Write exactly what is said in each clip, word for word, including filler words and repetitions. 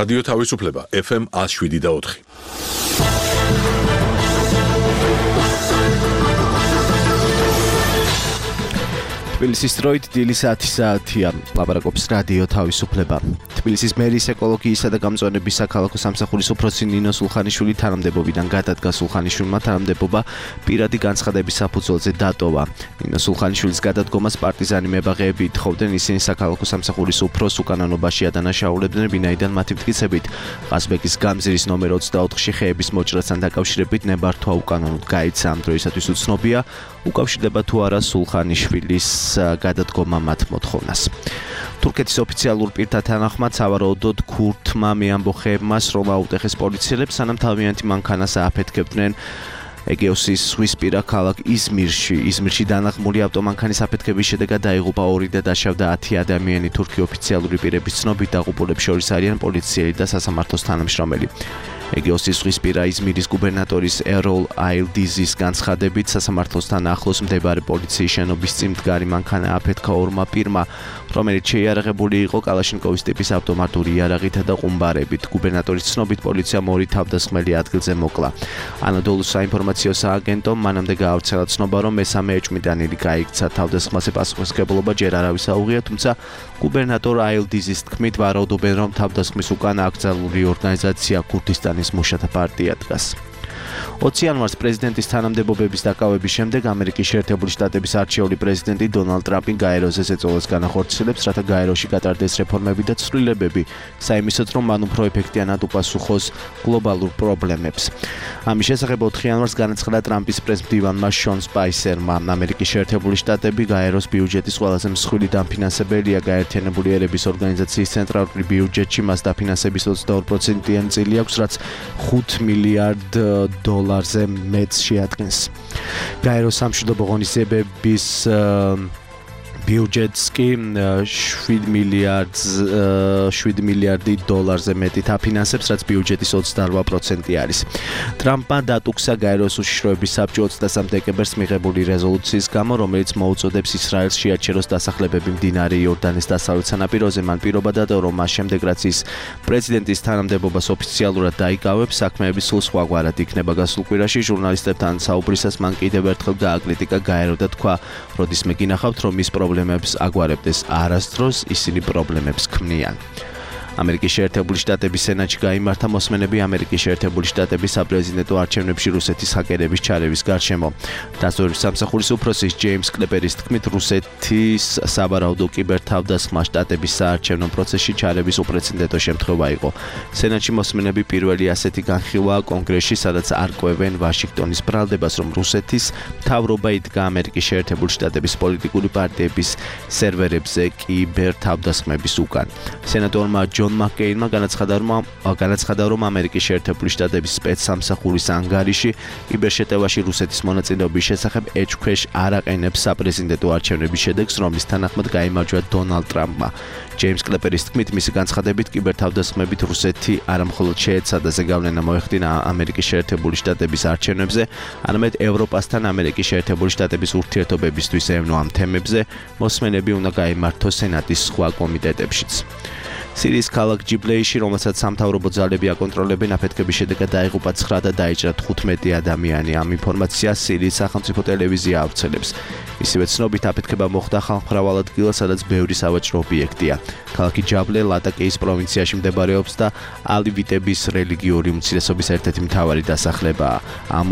რადიო თავისუფლება ეფ ემ one oh seven და four. თბილისის დროით დილის ათი საათია. ლაპარაკობს რადიო თავისუფლება. თბილისის მერის ეკოლოგიისა და გამწვანების საქალაქო სამსახურის უფროსი ნინო სულხანიშვილი თანამდებობიდან გადადგა. სულხანიშვილმა თანამდებობა პირადი განცხადების საფუძველზე დატოვა. ნინო სულხანიშვილის გადადგომას პარტიზანი მებაღეები ითხოვდნენ, ისინი საქალაქო სამსახურის უფროსს უკანონობაში ადანაშაულებდნენ, ვინაიდან მათი მტკიცებით ყაზბეგის გამზირის ნომერ ოცდაოთხში ხეების მოჭრასთან დაკავშირებით ნებართვა უკანონოდ გაიცა. ამ დროისათვის უცნობია, უკავშირდება თუ არა სულხანიშვილის გადადგომა მათ მოთხოვნას. თურქეთის ოფიციალურ პირთა თანახმად სავარაუდოდ ქურთმა მეამბოხეებმა სროლა აუტეხეს პოლიციელებს, სანამ თავიანთი მანქანას ააფეთქებდნენ ეგეოსის ზღვისპირა ქალაქ იზმირში. იზმირში დანაღმული ავტომანქანის აფეთქების შედეგად დაიღუპა ორი და დაშავდა ათი ადამიანი. თურქი ოფიციალური პირების ცნობით დაღუპულებს შორის არიან პოლიციელი და სასამართლოს თანამშრომელი. ეგეოსის ზღვისპირა იზმირის გუბერნატორის ეროლ აილდიზის განცხადებით, სასამართლოსთან ახლოს მდებარე პოლიციის შენობის წინ მდგარი მანქანა აფეთქა ორმა პირმა, რომელიც შეიარაღებული იყო კალაშნიკოვის ტიპის ავტომატური იარაღითა და ყუმბარებით. გუბერნატორის ცნობით, პოლიციამ ორი თავდასხმელი ადგილზე მოკლა. ანადოლუს საინფორმაციო სააგენტომ მანამდე გაავრცელა ცნობა, რომ მესამე ეჭვმიტანილი გაიქცა. თავდასხმაზე პასუხისმგებლობა ჯერ არავის აუღია, თუმცა გუბერნატორ აილდიზის თქმით, ვარაუდობენ, რომ თავდასხმის უკან აკრძალული ორგანიზაცია ქურთისტანის მუშათა პარტია დგას. ოცი იანვარს პრეზიდენტის თანამდებობების დაკავების შემდეგ ამერიკის შეერთებული შტატების არჩეული პრეზიდენტი დონალდ ტრამპი გაეროზე ეწოლას განახორციელებს, რათა გაეროში გატარდეს რეფორმები და ცვლილებები, საიმისოდ, რომ მან უფრო ეფექტიანად უპასუხოს გლობალურ პრობლემებს. ამის შესახებ ოთხი იანვარს განაცხადა ტრამპის პრეს-მდივანმა შონ სპაისერმა. ამერიკის შეერთებული შტატები გაეროს ბიუჯეტის ყველაზე მსხვილი დამფინანსებელია. გაერთიანებული ერების ორგანიზაციის ცენტრალური ბიუჯეტში მას დაფინანსების ოცდაორი პროცენტიანი წილი აქვს, რაც ხუთ მილიარდ დოლარზე მეტს შეადგენს. გაეროს სამშვიდობო ღონისძიებების ბიუჯეტს კი შვიდ მილიარდი დოლარზე მეტით აფინანსებს, რაც ბიუჯეტის ოცდაორ პროცენტი არის. ტრამპმა დატუქსა გაეროს უშიშროების საბჭო ოცდასამ დეკემბერს მიღებული რეზოლუციის გამო, რომელიც მოუწოდებს ისრაელს შეაჩეროს დასახლებები მდინარე იორდანეს დასავლეთ სანაპიროზე. მან პირობა დადო, რომ მას შემდეგ, რაც ის პრეზიდენტის თანამდებობას ოფიციალურად დაიკავებს, საქმეები სულ სხვაგვარად იქნება. გასულ კვირაში ჟურნალისტებთან საუბრისას მან კიდევ ერთხელ გააკრიტიკა გაერო და თქვა, როდისმე გინახავთ, რომ ის პრობლემებს აგვარებდეს არასდროს, ისინი პრობლემებს ქმნიან. ამერიკის შეერთებული შტატების სენატში გაიმართა მოსმენები ამერიკის შეერთებული შტატების საპრეზიდენტო არჩევნებში რუსეთის ჰაკერების ჩარევის გარშემო. დაზვერვის სამსახურის უფროსის ჯეიმს კლეპერის თქმით, რუსეთის სავარაუდო კიბერთავდასხმა შტატების საარჩევნო პროცესში ჩარევის უპრეცედენტო შემთხვევა იყო. სენატში მოსმენები პირველი ასეთი განხილვაა კონგრესში, სადაც არკვევენ ვაშინგტონის ბრალდებას, რომ რუსეთის მთავრობა იდგა ამერიკის შეერთებული შტატების პოლიტიკური პარტიების სერვერებზე კიბერთავდასხმების უკან. სენატორმა ჯონ მაკეინმა განაცხადა, რომ განაცხადა, რომ ამერიკის შეერთებული შტატების სპეცსამსახურის ანგარიში კიბერშეტევაში რუსეთის მონაწილეობის შესახებ ეჭვქვეშ არ აყენებს საპრეზიდენტო არჩევნების შედეგს, რომლის თანახმად გაიმარჯვა დონალდ ტრამპმა. ჯეიმს კლეპერის თქმით, მისი განცხადებით, კიბერთავდასხმებით რუსეთი არამხოლოდ შეეცადა ზეგავლენა მოეხდინა ამერიკის შეერთებული შტატების არჩევნებზე, არამედ ევროპასთან ამერიკის შეერთებული შტატების ურთიერთობებისთვის ევნო ამ თემებზე. მოსმენები უნდა გაიმართოს სენატის სხვა კომიტეტებშიც. სირიის ქალაქ ჯიბლეიში, რომელსაც სამთავრობო ძალები აკონტროლებენ, აფეთქების შედეგად დაიღუპა ცხრა და დაიჭრა თხუთმეტი ადამიანი. ამ ინფორმაციას სირიის სახელმწიფო ტელევიზია ავრცელებს. ისევე ცნობით, აფეთქება მოხდა ხალხმრავალ ადგილას, სადაც ბევრი სავაჭრო ობიექტია. ქალაქი ჯაბლე ლატაკეის პროვინციაში მდებარეობს და ალივიტების რელიგიური უმცირესობის ერთ-ერთი მთავარი დასახლებაა. ამ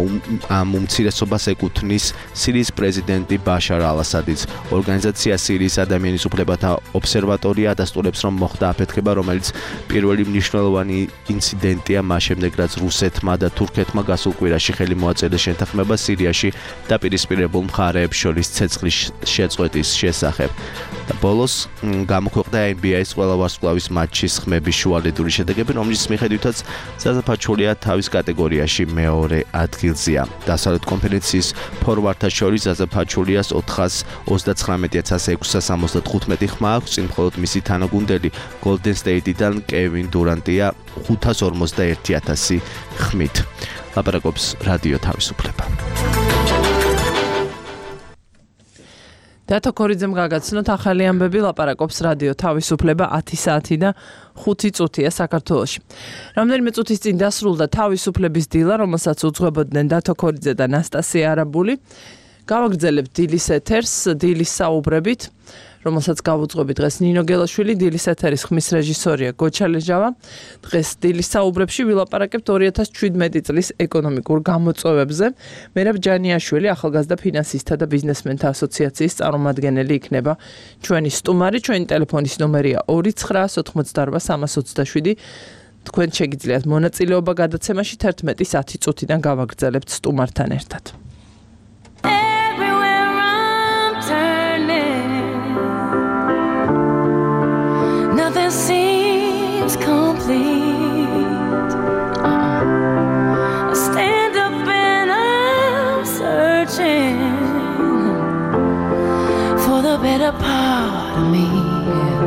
ამ უმცირესობას ეკუთვნის სირიის პრეზიდენტი ბაშარ ალ-ასადიც. ორგანიზაცია სირიის ადამიანის უფლებათა ობსერვატორია ადასტურებს, რომ მოხდა აფეთქება, რომელიც პირველი მნიშვნელოვანი ინციდენტია მას შემდეგ, რაც რუსეთმა და თურქეთმა გასულ კვირაში ხელი მოაწერეს შეთანხმება სირიაში დაპირისპირებულ მხარეებს შორის ცეცხლის შეწყვეტის შესახებ. და ბოლოს გამოქვეყნდა ენ ბი ეის ყველა ვარსკვლავის მატჩის ხმების შუალედური შედეგები, რომლის მიხედვითაც ზაზა ფაჩულია თავის კატეგორიაში მეორე ადგილზეა. დასავლეთ კონფერენციის ფორვარდთა შორის ზაზა ფაჩულიას ოთხას ოცდაცხრამეტი ათას ექვსას ორმოცდათხუთმეტი ხმა აქვს, წინ მხოლოდ მისი თანაგუნდელი Golden State-დან კევინ დურანტია ხუთას ორმოცდაერთი ათასი ხმით. ლაპარაკობს რადიო თავისუფლება. დათო ქორიძემ გაგაცნოთ ახალი ამბები, ლაპარაკობს რადიო თავისუფლება ათი საათი და ხუთი წუთია საქართველოში. რამდენიმე წუთის წინ დასრულდა თავისუფლების დილა, რომელსაც უძღვებოდნენ დათო ქორიძე და ნასტასია არაბული. გავაგრძელებთ დილის ეთერს, დილის საუბრებით, რომელსაც გავუძღვები დღეს ნინო გელაშვილი, დილის ეთერის ხმის რეჟისორია გოჩა ლეჟავა. დღეს დილის საუბრებში ვილაპარაკებთ ორი ათას შვიდმეტი წლის ეკონომიკურ გამოწვევებზე. მერაბ ჯანიაშვილი, ახალგაზრდა ფინანსისტთა და ბიზნესმენთა ასოციაციის წარმომადგენელი იქნება ჩვენი სტუმარი. ჩვენი ტელეფონის ნომერია ორი ცხრა ოთხმოცდაორბა სამას ოცდაშვიდი. თქვენ შეგიძლიათ მონაწილეობა გადაცემაში თერთმეტის ათი წუთიდან გავაგრძელებთ სტუმართან ერთად. Nothing seems complete. Uh-uh. I stand up and I'm searching for the better part of me. Yeah,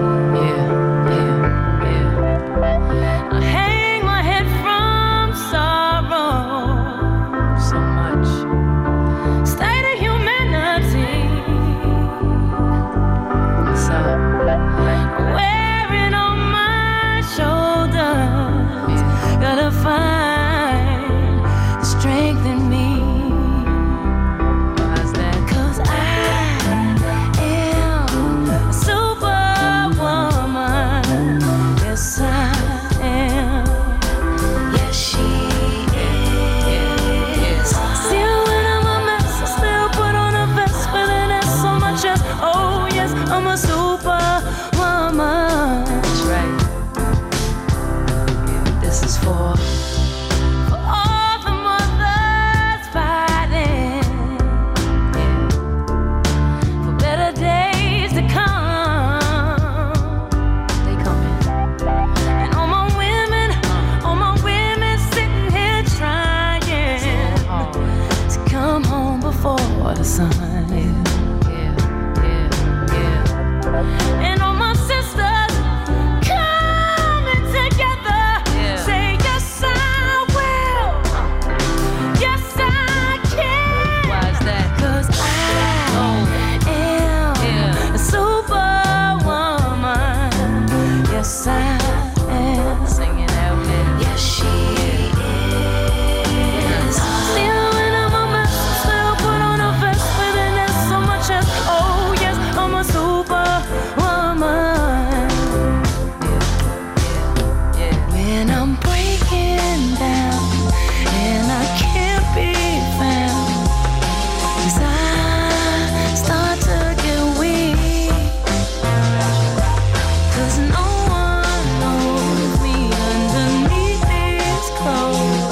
yeah, yeah, yeah. I hang my head from sorrow so much. State of humanity. So wearing on my shoulders, gotta find the strength in me. Why's that? 'Cause I am a superwoman. Yes, I am. Yes, she is. Still when I'm a mess, I still put on a vest, feeling it so much as, oh yes, I'm a superwoman. That's right. Yeah, this is for for all the mothers fighting, yeah, for better days to come. They coming. And all my women, all my women sitting here trying to come home before the sun. Yeah, yeah, yeah. And all my sisters coming together, say yes I will, yes I can. Why's that? 'Cause I am a superwoman. Yes I am. Sing it out, man. Yes she is. Still when I'm a mess, still put on a vest, feeling it so much as, oh yes, I'm a superwoman. When I'm breaking down and I can't be found, 'cause I start to get weak, 'cause no one knows me underneath these clothes,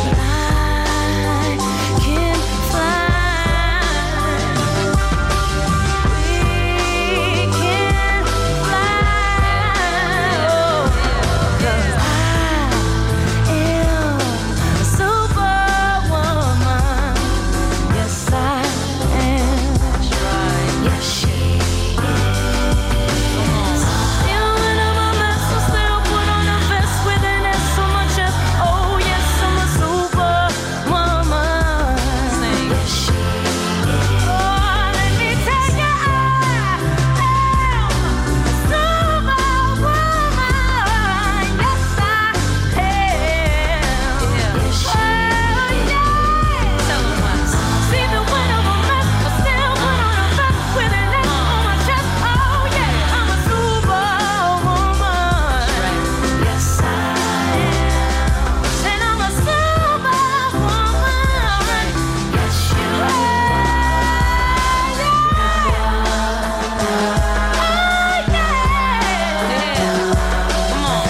but I can fly. We can fly, oh, 'cause I am a superwoman. Yes I am. Yes she is. Still when I'm a mess, I still put on a vest, within it so much as, oh yes, I'm a superwoman. Yes she is. Oh, let me tell you, I am a superwoman. Yes I am. Yes she is. See the when I'm a mess, I still put on a vest, within it on my chest. Oh yeah, I'm a superwoman. Yes I am. And I'm a superwoman. Yes you are. Oh yeah. Come on.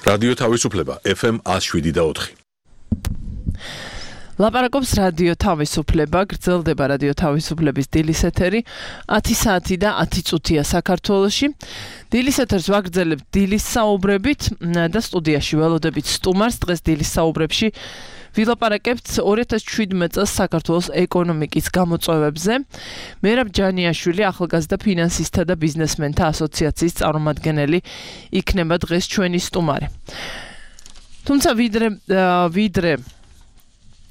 რადიო თავისუფლება ეფ ემ ათი შვიდი და ოთხი. ლაპარაკობს რადიო თავისუფლება, გრძელდება რადიო თავისუფლების დილის ეთერი, ათი საათი და ათი წუთია საქართველოში. დილის ეთერს ვაგრძელებთ დილის საუბრებით და სტუდიაში ველოდებით სტუმარს. დღეს დილის საუბრებში ვილაპარაკებთ ორი ათას შვიდმეტ წელს საქართველოს ეკონომიკის გამოწვევებზე. მერაბ ჯანიაშვილი, ახალგაზრდა ფინანსისტთა და ბიზნესმენთა ასოციაციის წარმომადგენელი იქნება დღეს ჩვენი სტუმარი. თუმცა ვიდრე ვიდრე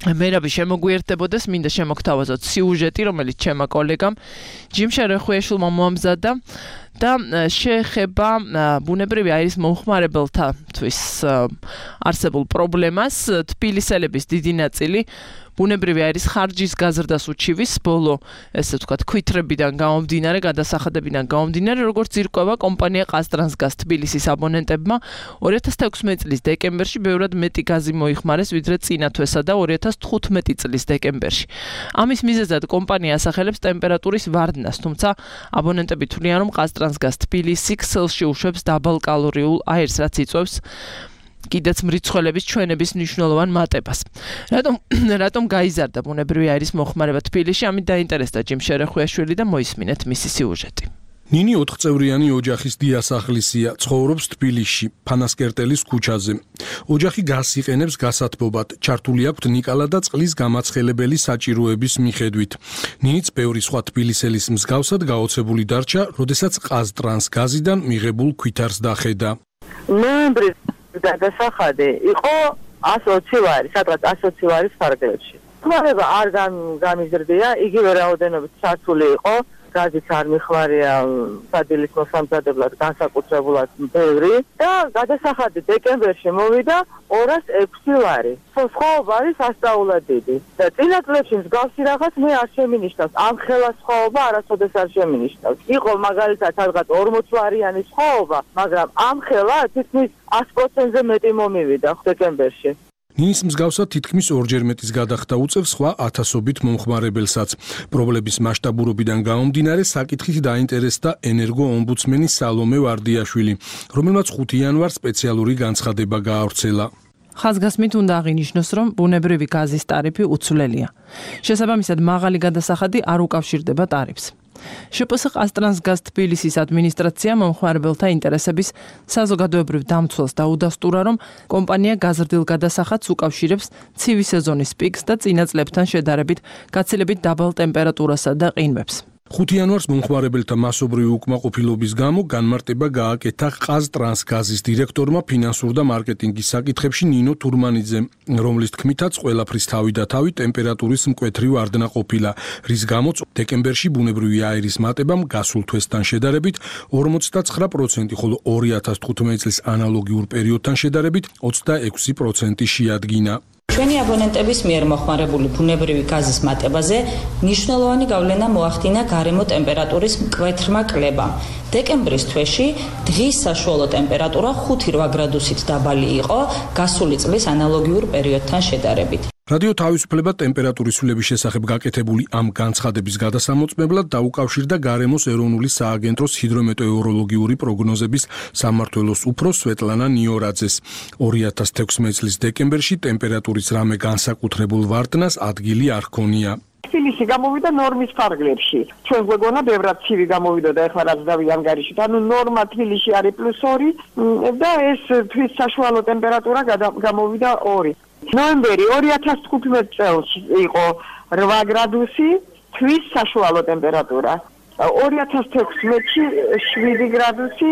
მერაბი შემოგვიერთდებოდეს, მინდა შემოგთავაზოთ სიუჟეტი, რომელიც ჩემმა კოლეგამ ჯიმ შერეხვიაშვილმა მოამზადა და შეეხება ბუნებრივი აირის მომხმარებელთათვის არსებულ პრობლემას. თბილისელების დიდი ნაწილი ბუნებრივი აირის ხარჯის გაზრდას უჩივის, ბოლო ესე ვთქვათ ქვითრებიდან გამომდინარე, გადასახადებიდან გამომდინარე, როგორც ირკვევა კომპანია ყაზტრანსგაზ თბილისის აბონენტებმა ორი ათას თექვსმეტ წლის დეკემბერში ბევრად მეტი გაზი მოიხმარეს, ვიდრე წინა თვესა და ორი ათას თხუთმეტი წლის დეკემბერში. ამის მიზეზად კომპანია ასახელებს ტემპერატურის ვარდნას, თუმცა აბონენტები თვლიან, რომ ყაზტრანსგაზ თბილისი ქსელში უშვებს დაბალკალორიულ აირს, რაც იწვევს კიდეც მრიცხველების ჩვენების მნიშვნელოვან მატებას. რატომ რატომ გაიზარდა ბუნებრივი აირის მოხმარება თბილისში? ამით დაინტერესდა ჯიმ შერეხვიაშვილი და მოისმინეთ მისი სიუჟეტი. ნინი ოთხწევრიანი ოჯახის დიასახლისია, ცხოვრობს თბილისში, ფანასკერტელის ქუჩაზე. ოჯახი გაზს იყენებს გასათბობად, ჩართული აქვთ ნიკალა და წყლის გამაცხელებელი საჭიროების მიხედვით. ნინიც ბევრი სხვა თბილისელის მსგავსად გაოცებული დარჩა, როდესაც ყაზტრანსგაზიდან მიღებულ ქვითარს დახედა. ნოემბრის გადასახადი იყო ას ოცი ლარი, სადღაც ას ოცი ლარის ფარგლებში. ხმარება არ გამიზრდია, იგივე რაოდენობით ჩართული იყო, გაზიც არ მიხმარია სადილის მოსამზადებლად, განსაკუთრებულად ბევრი და გადასახადი დეკემბერში მოვიდა ორას ექვსი ლარი. სხვაობა არის ასწაულად დიდი და წინა წლებში მსგავსი რაღაც მე არ შემინიშნავს, ამ ხელა სხვაობა არასოდეს არ შემინიშნავს. იყო მაგალითად სადღაც ორმოც ლარიანი სხვაობა, მაგრამ ამ ხელა თითქმის ას პროცენტზე მეტი მომივიდა დეკემბერში. ნინის მსგავსად თითქმის ორჯერ მეტის გადახდა უწევს სხვა ათასობით მომხმარებელსაც. პრობლემის მასშტაბურობიდან გამომდინარე, საკითხით დაინტერესდა ენერგოომბუდსმენი სალომე ვარდიაშვილი, რომელმაც ხუთი იანვარს სპეციალური განცხადება გაავრცელა. ხაზგასმით უნდა აღინიშნოს, რომ ბუნებრივი გაზის ტარიფი უცვლელია. შესაბამისად, მაღალი გადასახადი არ უკავშირდება ტარიფს. შპს ყაზტრანსგაზ თბილისის ადმინისტრაცია მომხმარებელთა ინტერესების საზოგადოებრივ დამცველს დაუდასტურა, რომ კომპანია გაზრდილ გადასახადს უკავშირებს ცივი სეზონის პიკს და წინა წლებთან შედარებით გაცილებით დაბალ ტემპერატურასა და ყინვებს. ხუთი იანვარს მომხმარებელთა მასობრივი უკმაყოფილების გამო განმარტება გააკეთა ყაზტრანსგაზის დირექტორმა ფინანსურ და მარკეტინგის საკითხებში ნინო თურმანიძემ, რომლის თქმითაც ყველაფრის თავი და თავი ტემპერატურის მკვეთრი ვარდნა ყოფილა, რის გამოც დეკემბერში ბუნებრივი აირის მატებამ გასულ თვესთან შედარებით ორმოცდაცხრა პროცენტი, ხოლო ორი ათას თხუთმეტ წლის ანალოგიურ პერიოდთან შედარებით ოცდაექვსი პროცენტი შეადგინა. ჩვენი აბონენტების მიერ მოხმარებული ბუნებრივი გაზის მატებაზე მნიშვნელოვანი გავლენა მოახდინა გარემო ტემპერატურის მკვეთრმა კლებამ. დეკემბრის თვეში დღის საშუალო ტემპერატურა ხუთი რვა გრადუსით დაბალი იყო გასული წლის ანალოგიურ პერიოდთან შედარებით. რადიო თავისუფლება ტემპერატურის ცვლილების შესახებ გაკეთებული ამ განცხადების გადასამოწმებლად დაუკავშირდა გარემოს ეროვნული სააგენტოს ჰიდრომეტეოროლოგიური პროგნოზების სამმართველოს უფროს სვეტლანა ნიორაძეს. ორი ათას თექვსმეტ წლის დეკემბერში ტემპერატურის რამე განსაკუთრებულ ვარდნას ადგილი არ ჰქონია. თბილისი გამოვიდა ნორმის ფარგლებში. ჩვენ გვეგონა ბევრად ცივი გამოვიდა და ეხლა რაც დავი ანგარიში. ანუ ნორმა თბილისში არის პლუს ორი და ეს თვის საშუალო ტემპერატურა გამოვიდა ორი. ნოემბერი ორი ათას თხუთმეტ წელს იყო რვა გრადუსი, თვის საშუალო ტემპერატურა. ორი ათას თექვსმეტში შვიდი გრადუსი,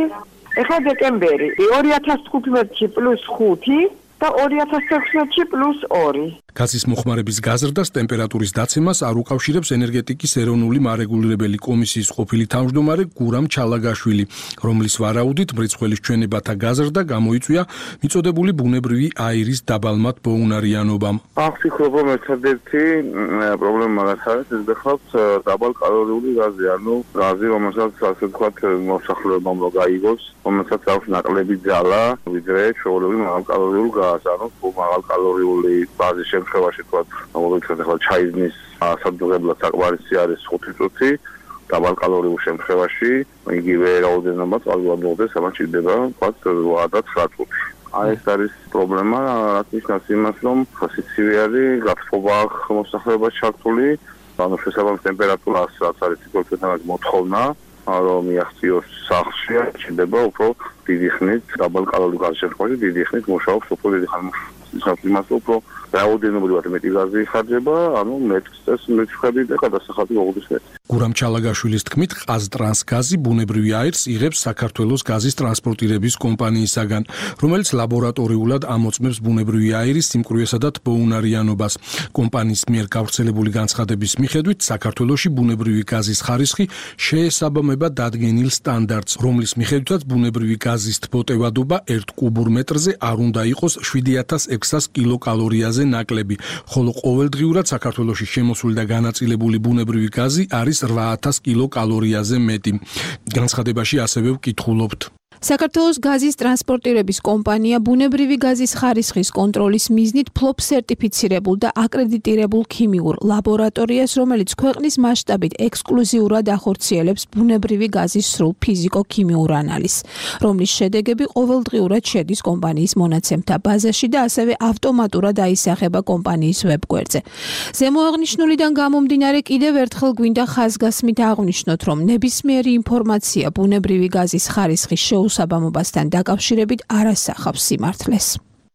ეხლა დეკემბერი ორი ათას თხუთმეტში პლუს ხუთი და ორი ათას თექვსმეტში პლუს ორი. გაზის მოხმარების გაზრდას ტემპერატურის დაცემას არ უკავშირებს ენერგეტიკის ეროვნული მარეგულირებელი კომისიის ყოფილი თავმჯდომარე გურამ ჩალაგაშვილი, რომლის ვარაუდით მრიცხველის ჩვენებათა გაზრდა გამოიწვია მიწოდებული ბუნებრივი აირის დაბალმად ბოუნარიანობამ. ახსიქრობ, რომ ერთადერთი პრობლემა რაც არის, ეს გახლავთ დაბალკალორიული გაზი, ანუ გაზი, რომელსაც ასე ვთქვათ, მოსახლეობამ რო გაიგოს, რომელსაც აქვს ნაკლები ძალა, ვიდრე ჩვეულებრივი მაღალკალორიულ გაზს, ანუ მაღალკალორიული ბაზის შემთხვევაში თქვა, მოგვიწევთ ახლა ჩაიზნის სადუღებლად საკმარისი არის ხუთი წუთი, დაბალკალორიულ შემთხვევაში იგივე რაოდენობა წყალგადმოხდეს, ამას ჭირდება თქვა რვა და ცხრა წუთი. აი ეს არის პრობლემა, რაც ნიშნავს იმას, რომ სიცივე არის, გაფრთხობა მოსახლეობას ჩართული, ანუ შესაბამის ტემპერატურას რაც არის სიკვდილთან მოთხოვნა, რომ მიაღწიოს სახლში, ჩნდება უფრო დიდი ხნით, დაბალკალორიულ გარშემოში დიდი ხნით მუშაობს, უფრო დიდი ხანი მუშაობს იმას, უფრო რაოდენობრივად მეტი გაზი იხარჯება, ანუ მეტს მეჩხები და გადასახადი მოგვდის მეტი. გურამ ჩალაგაშვილის თქმით, ყაზტრანსგაზი ბუნებრივი აირს იღებს საქართველოს გაზის ტრანსპორტირების კომპანიისაგან, რომელიც ლაბორატორიულად ამოწმებს ბუნებრივი აირის სიმკვრივესა და თბოუნარიანობას. კომპანიის მიერ გავრცელებული განცხადების მიხედვით, საქართველოში ბუნებრივი გაზის ხარისხი შეესაბამება დადგენილ სტანდარტს, რომლის მიხედვითაც ბუნებრივი გაზის თბოტევადობა ერთ კუბურ მეტრზე არ უნდა იყოს შვიდი ათას ექვსას კილოკალორიაზე ნაკლები, ხოლო ყოველდღიურად საქართველოში შემოსული და განაწილებული ბუნებრივი გაზი არის რვა ათას კილოკალორიაზე მეტი. განცხადებაში ასევე ვკითხულობთ. საქართველოს გაზის ტრანსპორტირების კომპანია ბუნებრივი გაზის ხარისხის კონტროლის მიზნით ფლობს სერტიფიცირებულ და აკრედიტირებულ ქიმიურ ლაბორატორიას, რომელიც ქვეყნის მასშტაბით ექსკლუზიურად ახორციელებს ბუნებრივი გაზის სრულ ფიზიკო-ქიმიურ ანალიზს, რომლის შედეგები ყოველდღიურად შედის კომპანიის მონაცემთა ბაზაში და ასევე ავტომატურად აისახება კომპანიის ვებგვერდზე. ზემოაღნიშნულიდან გამომდინარე, კიდევ ერთხელ გვინდა ხაზგასმით აღვნიშნოთ, რომ ნებისმიერი ინფორმაცია ბუნებრივი გაზის ხარისხის შეუსაბამობასთან დაკავშირებით არ ასახავს სიმართლეს.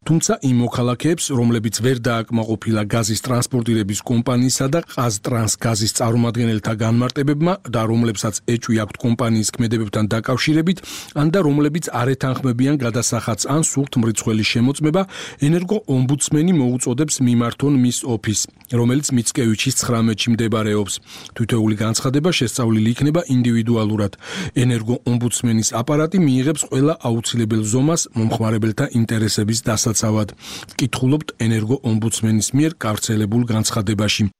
თუმცა იმ მოქალაქეებს, რომლებიც ვერ დააკმაყოფილა გაზის ტრანსპორტირების კომპანიისა და ყაზტრანსგაზის წარმომადგენელთა განმარტებებმა და რომლებსაც ეჭვი აქვთ კომპანიის ქმედებებთან დაკავშირებით, ან და რომლებიც არ ეთანხმებიან გადასახადს ან სურთ მრიცხველის შემოწმება, ენერგო-ომბუდსმენი მოუწოდებს მიმართონ მის ოფისს, რომელიც მიცკევიჩის ცხრამეტში მდებარეობს. თითოეული განცხადება შესწავლილი იქნება ინდივიდუალურად. ენერგო-ომბუდსმენის აპარატი მიიღებს ყველა აუცილებელ ზომას მომხმარებელთა ინტერესების დასაცავად. ვკითხულობთ ენერგო-ომბუდსმენის მიერ გავრცელებულ განცხადებაში.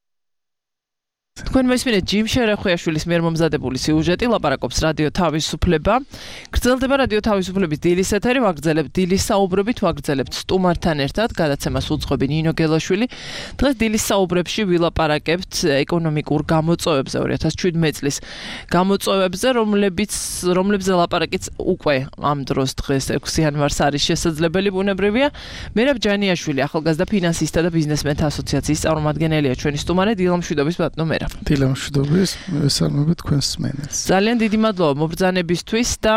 თქვენ მესმენთ ჯიმ შერახვიაშვილის მიერ მომზადებული სიუჟეტი ლაპარაკობს რადიო თავისუფლება. გრძელდება რადიო თავისუფლების დილის ეთერი, ვაგრძელებთ დილის საუბრებით, ვაგრძელებთ სტუმართან ერთად, გადაცემას უძღვები ნინო გელაშვილი. დღეს დილის საუბრებში ვილაპარაკებთ ეკონომიკურ გამოწვევებზე ორი ათას შვიდმეტი წლის გამოწვევებზე, რომლებიც რომლებზე ლაპარაკიც უკვე ამ დროს დღეს ექვსი იანვარს არის შესაძლებელი ბუნებრივია. მერაბ ჯანიაშვილი, ახალგაზრდა ფინანსისტთა და ბიზნესმენთა ასოციაციის წარმომადგენელია ჩვენი სტუმარი, დილამშვიდობის ბატონო მერაბ. დილამშვიდობის, მესალმებით თქვენს მსმენელს. ძალიან დიდი მადლობა მობრძანებისთვის და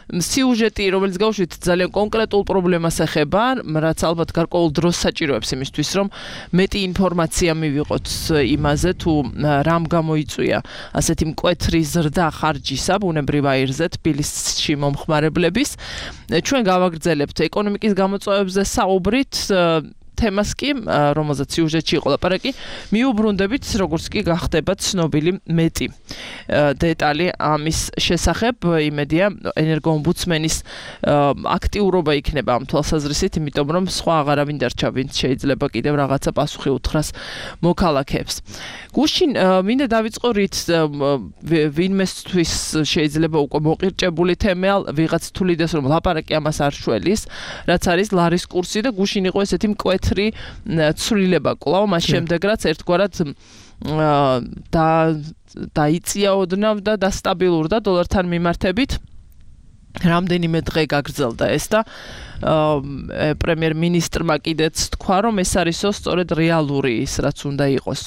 სიუჟეტი, რომელიც გავუშვით, ძალიან კონკრეტულ პრობლემას ეხება, რაც ალბათ გარკვეულ დროს საჭიროებს იმისთვის, რომ მეტი ინფორმაცია მივიღოთ იმაზე, თუ რამ გამოიწვია ასეთი მკვეთრი ზრდა ხარჯისა ბუნებრივ აირზე თბილისში მომხმარებლების. ჩვენ გავაგრძელებთ ეკონომიკის გამოწვევებზე საუბრით, თემას კი, რომელზეც სიუჟეტში იყო ლაპარაკი, მიუბრუნდებით, როგორც კი გახდება ცნობილი მეტი დეტალი ამის შესახებ. იმედია, ენერგო-ომბუდსმენის აქტიურობა იქნება ამ თვალსაზრისით, იმიტომ რომ სხვა აღარავინ დარჩა, ვინც შეიძლება კიდევ რაღაცა პასუხი უთხრას მოქალაქეებს. გუშინ მინდა დავიწყო რით ვინმესთვის შეიძლება უკვე მოყირჭებული თემა, ვიღაც თulides რომ ლაპარაკი ამას არ შველის, რაც არის ლარის კურსი და გუშინ იყო ესეთი მკვეთრი ცვლილება კვლავ, მას შემდეგ რაც ერთგვარად და დაიწია ოდნავ და დასტაბილურდა დოლართან მიმართებით. რამდენიმე დღე გაგრძელდა ეს და პრემიერ-მინისტრმა კიდეც თქვა, რომ ეს არისო სწორედ რეალური ის, რაც უნდა იყოს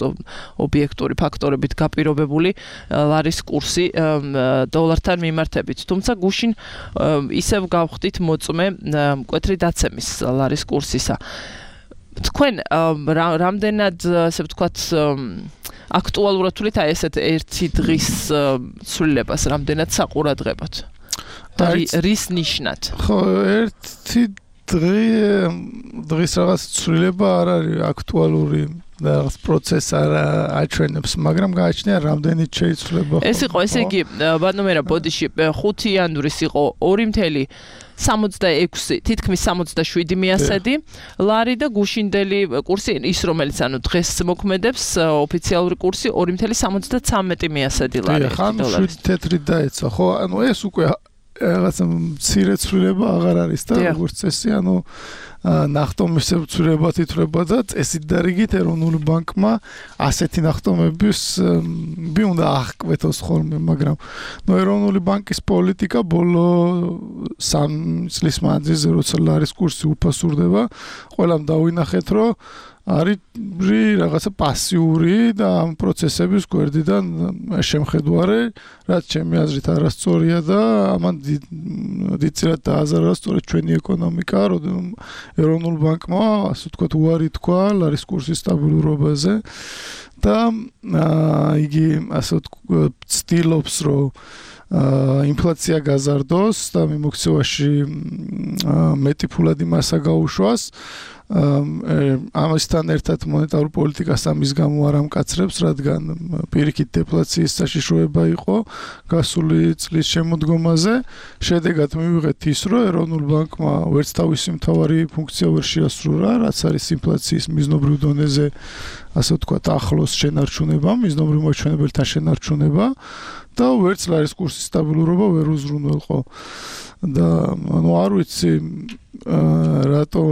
ობიექტური ფაქტორებით გაპირობებული ლარის კურსი დოლართან მიმართებით. თუმცა გუშინ ისევ გავხდით მოწმე მკვეთრი დაცემის ლარის კურსისა. თქვენ რამდენად, ასე ვთქვათ, აქტუალურად თulit აი ესეთ ერთი დღის ცვლილებას რამდენად საყურადღებოთ? რის ნიშნად? ხო, ერთი დღე დღის რაღაც ცვლილება არ არის აქტუალური და რაღაც პროცესს არ აჩვენებს, მაგრამ გააჩნია რამდენიც შეიცვლება. ეს იყო, ესე იგი, ბატონო მერაბ, ბოდიში ხუთი იანვრის იყო ორი წუთი სამოცდაექვსი, თითქმის სამოცდაშვიდი მიასედი ლარი და გუშინდელი კურსი ის, რომელიც ანუ დღეს მოქმედებს, ოფიციალური კურსი ორი წუთი სამოცდათვრამეტი მიასედი ლარი. ხან შვიდი თეთრი დაეცა, ხო? ანუ ეს უკვე რაღაცა მცირე ცვლილება აღარ არის და როგორც წესი, ანუ ნახტომისებ ცვლილება თითრება და წესით და რიგით ეროვნული ბანკმა ასეთი ნახტომების ბი უნდა აღკვეთოს ხოლმე, მაგრამ ნუ ეროვნული ბანკის პოლიტიკა ბოლო სამი წლის მანძილზე როცა ლარის კურსი უფასურდება, ყველამ დავინახეთ, რომ არის რაღაცა პასიური და ამ პროცესების გვერდიდან შემხედვარე, რაც ჩემი აზრით არასწორია და ამან დიდწილად დააზარა სწორედ ჩვენი ეკონომიკა, რომ ეროვნულ ბანკმა, ასე ვთქვათ, უარი თქვა ლარის კურსის სტაბილურობაზე და იგი ასე ვთქვათ, ცდილობს, რომ ინფლაცია გაზარდოს და მიმოქცევაში მეტი ფულადი მასა გაუშვას. ამასთან ერთად მონეტარულ პოლიტიკას ამის გამო არ ამკაცრებს, რადგან პირიქით დეფლაციის საშიშროება იყო გასული წლის შემოდგომაზე. შედეგად მივიღეთ ის, რომ ეროვნულ ბანკმა ვერც თავისი მთავარი ფუნქცია ვერ შეასრულა, რაც არის ინფლაციის მიზნობრივ დონეზე, ასე ვთქვათ, ახლოს შენარჩუნება, მიზნობრივ მოჩვენებელთან შენარჩუნება და ვერც ლარის კურსის სტაბილურობა ვერ უზრუნველყო. და ანუ არ ვიცი რატო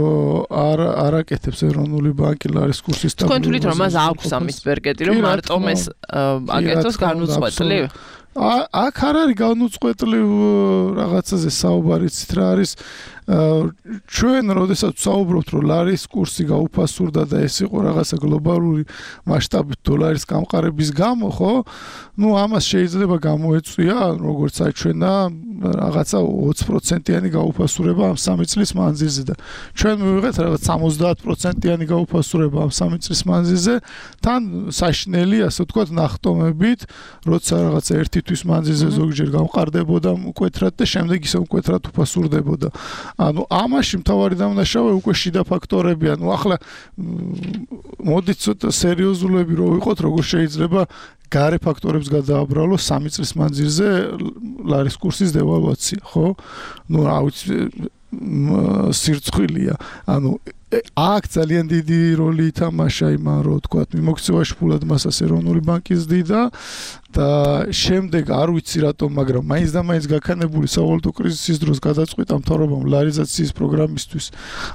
არ არაკეთებს ეროვნული ბანკი ლარის კურსის სტაბილურობას. თქვენ თვლით რომ მას აქვს ამის ბერკეტი, რომ მარტომ ეს აკეთოს განუწყვეტლივ? აქ არ არის განუწყვეტლივ რაღაცაზე საუბარი, ცით რა არის ჩვენ როდესაც საუბრობთ, რომ ლარის კურსი გაუფასურდა და ეს იყო რაღაცა გლობალური მასშტაბით დოლარის გამყარების გამო, ხო? ნუ ამას შეიძლება გამოეწვია, როგორც აჩვენა, რაღაცა ოცი პროცენტიანი გაუფასურება ამ სამი წლის მანძილზე და ჩვენ მივიღეთ რაღაც სამოცდაათ პროცენტიანი გაუფასურება ამ სამი წლის მანძილზე, თან საშინელი, ასე ვთქვათ, ნახტომებით, როცა რაღაცა ერთი თვის მანძილზე ზოგჯერ გამყარდებოდა მკვეთრად და შემდეგ ისე მკვეთრად უფასურდებოდა. ანუ ამაში მთავარი დამნაშავე უკვე შიდა ფაქტორებია. ნუ ახლა მოდით ცოტა სერიოზულები რო ვიყოთ, როგორ შეიძლება გარე ფაქტორებს გადააბრალოს სამი წლის მანძილზე ლარის კურსის დევალვაცია, ხო? ნუ რა ვიცი სირცხვილია. ანუ აქ ძალიან დიდი როლი ითამაშა იმან, რომ თქვათ, მიმოქცევაში ფულად მასას ეროვნული ბანკი ზდიდა და შემდეგ არ ვიცი რატომ, მაგრამ მაინც და მაინც გაქანებული სავალუტო კრიზისის დროს გადაწყვიტა მთავრობამ ლარიზაციის პროგრამისთვის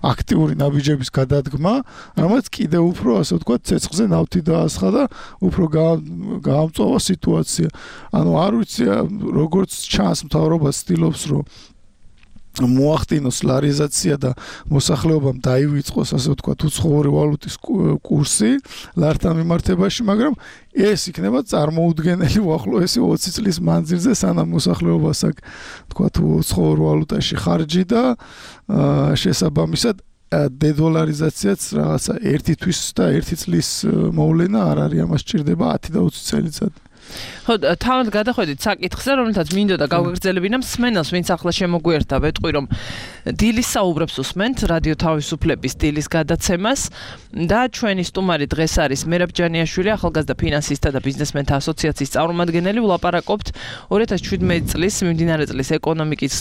აქტიური ნაბიჯების გადადგმა, რამაც კიდევ უფრო, ასე ვთქვათ, ცეცხლზე ნავთი დაასხა და უფრო გაამწვავა სიტუაცია. ანუ არ ვიცი, როგორც ჩანს, მთავრობა ცდილობს, რომ მოახდინოს ლარიზაცია და მოსახლეობამ დაივიწყოს, ასე ვთქვათ, უცხოური ვალუტის კურსი ლართან მიმართებაში, მაგრამ ეს იქნება წარმოუდგენელი უახლოესი ოცი წლის მანძილზე, სანამ მოსახლეობას აქ, ვთქვათ, უცხოურ ვალუტაში ხარჯი და შესაბამისად დედოლარიზაციაც რაღაცა ერთი თვის და ერთი წლის მოვლენა არ არის, ამას სჭირდება ათი და ოცი წელიწადი. ხო, თავად გადახვედით საკითხზე, რომელთაც მინდოდა გავაგრძელებინა მსმენელს, ვინც ახლა შემოგვიერთა, ვეტყვი, რომ დილის საუბრებს უსმენთ რადიო თავისუფლების დილის გადაცემას და ჩვენი სტუმარი დღეს არის მერაბ ჯანიაშვილი, ახალგაზრდა ფინანსისტთა და ბიზნესმენთა ასოციაციის წარმომადგენელი. ვლაპარაკობთ ორი ათას შვიდმეტი წლის მიმდინარე წლის ეკონომიკის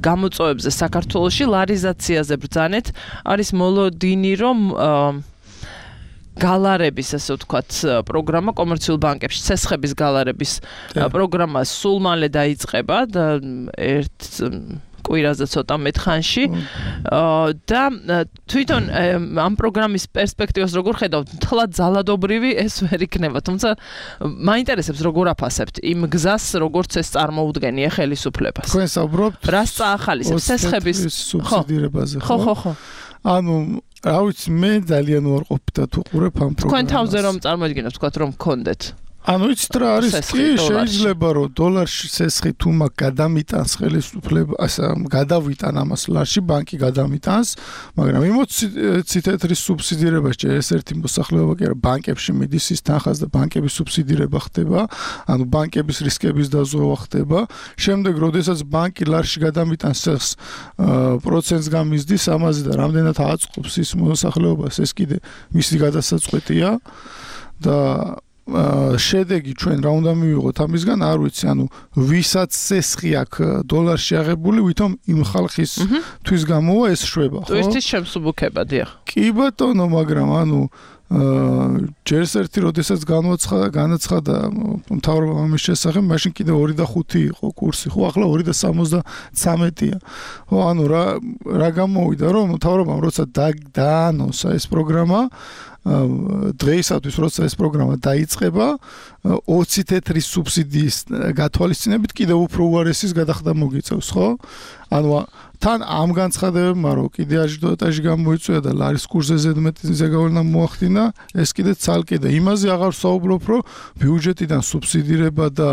გამოწვევებზე საქართველოში, ლარიზაციაზე ბრძანეთ. არის მოლოდინი, რომ გალარების, ასე ვთქვათ, პროგრამა კომერციულ ბანკებში, ცესხების გალარების პროგრამა სულ მალე დაიწყება და ერთ კვირაზე ცოტა მეტ ხანში და თვითონ ამ პროგრამის პერსპექტივას როგორ ხედავთ? თლად ძალადობრივი ეს ვერ იქნება, თუმცა მაინტერესებს როგორ აფასებთ იმ გზას, როგორც ეს წარმოუდგენია ხელისუფლებას. თქვენ საუბრობთ რას წაახალისებს ცესხების სუბსიდირებაზე, ხო? ხო, ხო. ანუ რა ვიცი, მე ძალიან უარყოფით და თუ ყურებ ამ პროგრამას. თქვენ თავზე რომ წარმოიდგინოთ, ვთქვათ, რომ გქონდეთ ანუ იცით რა არის, კი შეიძლება რომ დოლარში ცესხი თუ მაგ გადამიტანს ხელისუფლება, ასე გადავიტან ამას ლარში, ბანკი გადამიტანს, მაგრამ ემოცი თეთრის სუბსიდირება შეიძლება ეს ერთი მოსახლეობა კი არა, ბანკებში მიდის ის თანხას და ბანკების სუბსიდირება ხდება, ანუ ბანკების რისკების დაზოვა ხდება. შემდეგ, როდესაც ბანკი ლარში გადამიტანს ცესხს, პროცენტს გამიზდის ამაზე და რამდენად აწყობს ის მოსახლეობას, ეს კიდე მისი გადასაწყვეტია და შედეგი ჩვენ რა უნდა მივიღოთ ამისგან, არ ვიცი, ანუ ვისაც ცესხი აქვს დოლარში აღებული, ვითომ იმ ხალხის თვის გამოა ეს შვება, ხო? ტურისტის შემსუბუქება, დიახ. კი ბატონო, მაგრამ ანუ ჯერს ერთი როდესაც განაცხადა განაცხადა მთავრობამ ამის შესახებ, მაშინ კიდე ორი და ხუთი იყო კურსი, ხო, ახლა ორი და სამოცდამეცია. ხო, ანუ რა რა გამოვიდა, რომ მთავრობამ როცა დაანონსა ეს პროგრამა, დღეისათვის როცა ეს პროგრამა დაიწყება, ოცი თეთრი სუბსიდიის გათვალისწინებით კიდევ უფრო უარესის გადახდა მოგიწევს, ხო? ანუ თან ამ განცხადებებმა რომ კიდე აჟიტაჟი გამოიწვია და ლარის კურსზე ზედმეტი ზეგავლენა მოახდინა, ეს კიდე ცალკე და იმაზე აღარ ვსაუბრობ, რომ ბიუჯეტიდან სუბსიდირება და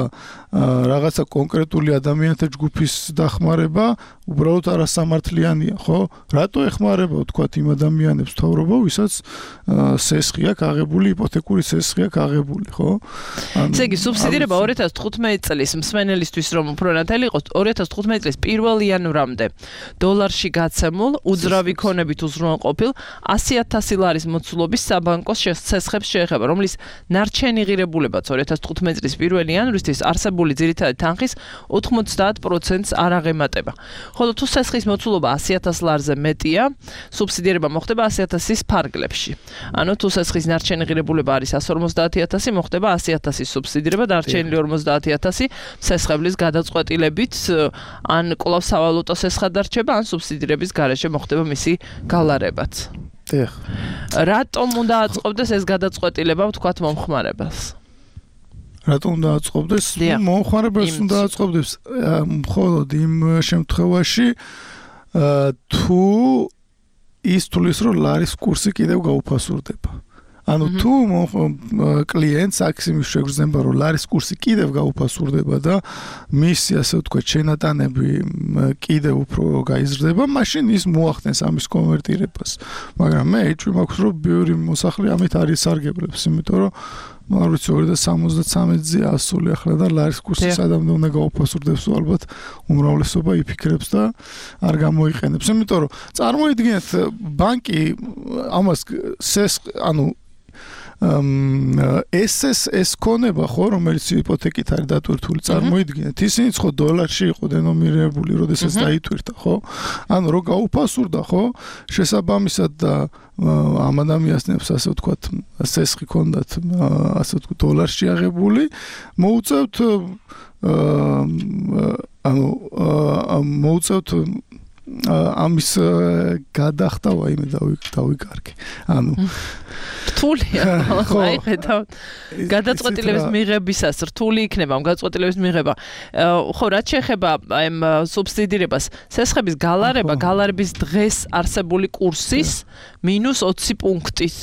რაღაცა კონკრეტული ადამიანთა ჯგუფის დახმარება უბრალოდ არასამართლიანია, ხო? რატო ეხმარება თქვათ იმ ადამიანებს მთავრობა, ვისაც სესხი აქვს აღებული, იპოთეკური სესხი აქვს აღებული, ხო? ესე იგი, სუბსიდირება ორი ათას თხუთმეტი წლის მსმენელისთვის რომ უფრო ნათელი იყოს, ორი ათას თხუთმეტი წლის პირველი იანვრამდე დოლარში გაცემულ უძრავი ქონებით უზრუნველყოფილ ასი ათასი ლარის მოცულობის საბანკო სესხებს შეეხება, რომლის ნარჩენი ღირებულებაც ორი ათას თხუთმეტი წლის პირველი იანვრისთვის არსებული ძირითადი თანხის ოთხმოცდაათ პროცენტს არ აღემატება. ხოლო თუ სესხის მოცულობა ასი ათას ლარზე მეტია, სუბსიდირება მოხდება ასი ათასის ფარგლებში. ანუ თუ სესხის ნარჩენი ღირებულება არის ას ორმოცდაათი ათასი, მოხდება ასი ათასის სუბსიდირება და არჩენილი ორმოცდაათი ათასი სესხებლის გადაწყვეტილებით ან კვლავ სავალუტო სესხად დარჩება, ან სუბსიდირების გარეშე მოხდება მისი გალარებაც. დიახ. რატომ უნდა აწყობდეს ეს გადაწყვეტილება ვთქვათ მომხმარებელს? რატომ უნდა აწყობდეს? მომხმარებელს უნდა აწყობდეს მხოლოდ იმ შემთხვევაში, თუ ის თulis რომ ლარის კურსი კიდევ გაუფასურდება. ანუ თუ კლიენტს აქვს იმის შეგრძნება, რომ ლარის კურსი კიდევ გაუფასურდება და მისი ასე ვთქვათ შენატანები კიდევ უფრო გაიზრდება, მაშინ ის მოახდენს ამის კონვერტირებას. მაგრამ მე ეჭვი მაქვს, რომ ბევრი მოსახლე ამით არ ისარგებლებს, იმიტომ რომ არ ვიცი ორი და სამოცდამეცზე ასული ახლა და ლარის კურსი სადამდე უნდა გაუფასურდებს, ალბათ უმრავლესობა იფიქრებს და არ გამოიყენებს. იმიტომ რომ წარმოიდგინეთ, ბანკი ამას სეს ანუ ეს ეს ეს ქონება ხო, რომელიც იპოთეკით არის დატვირთული, წარმოიდგინეთ, ისინიც ხო დოლარში იყო დენომინირებული, როდესაც დაიტვირთა, ხო? ანუ რო გაუფასურდა, ხო? შესაბამისად და ამ ადამიანებს ასე ვთქვათ, სესხი ქონდათ, ასე ვთქვათ, დოლარში აღებული, მოუწევთ ანუ მოუწევთ ამის გადახდა ვაიმე დავიკარგე. ანუ რთულია. აი ხედავ. გადაწყვეტილების მიღებისას რთული იქნება ამ გადაწყვეტილების მიღება. ხო, რაც შეეხება აი სუბსიდირებას, სესხების გალარება, გალარების დღეს არსებული კურსის მინუს ოცი პუნქტის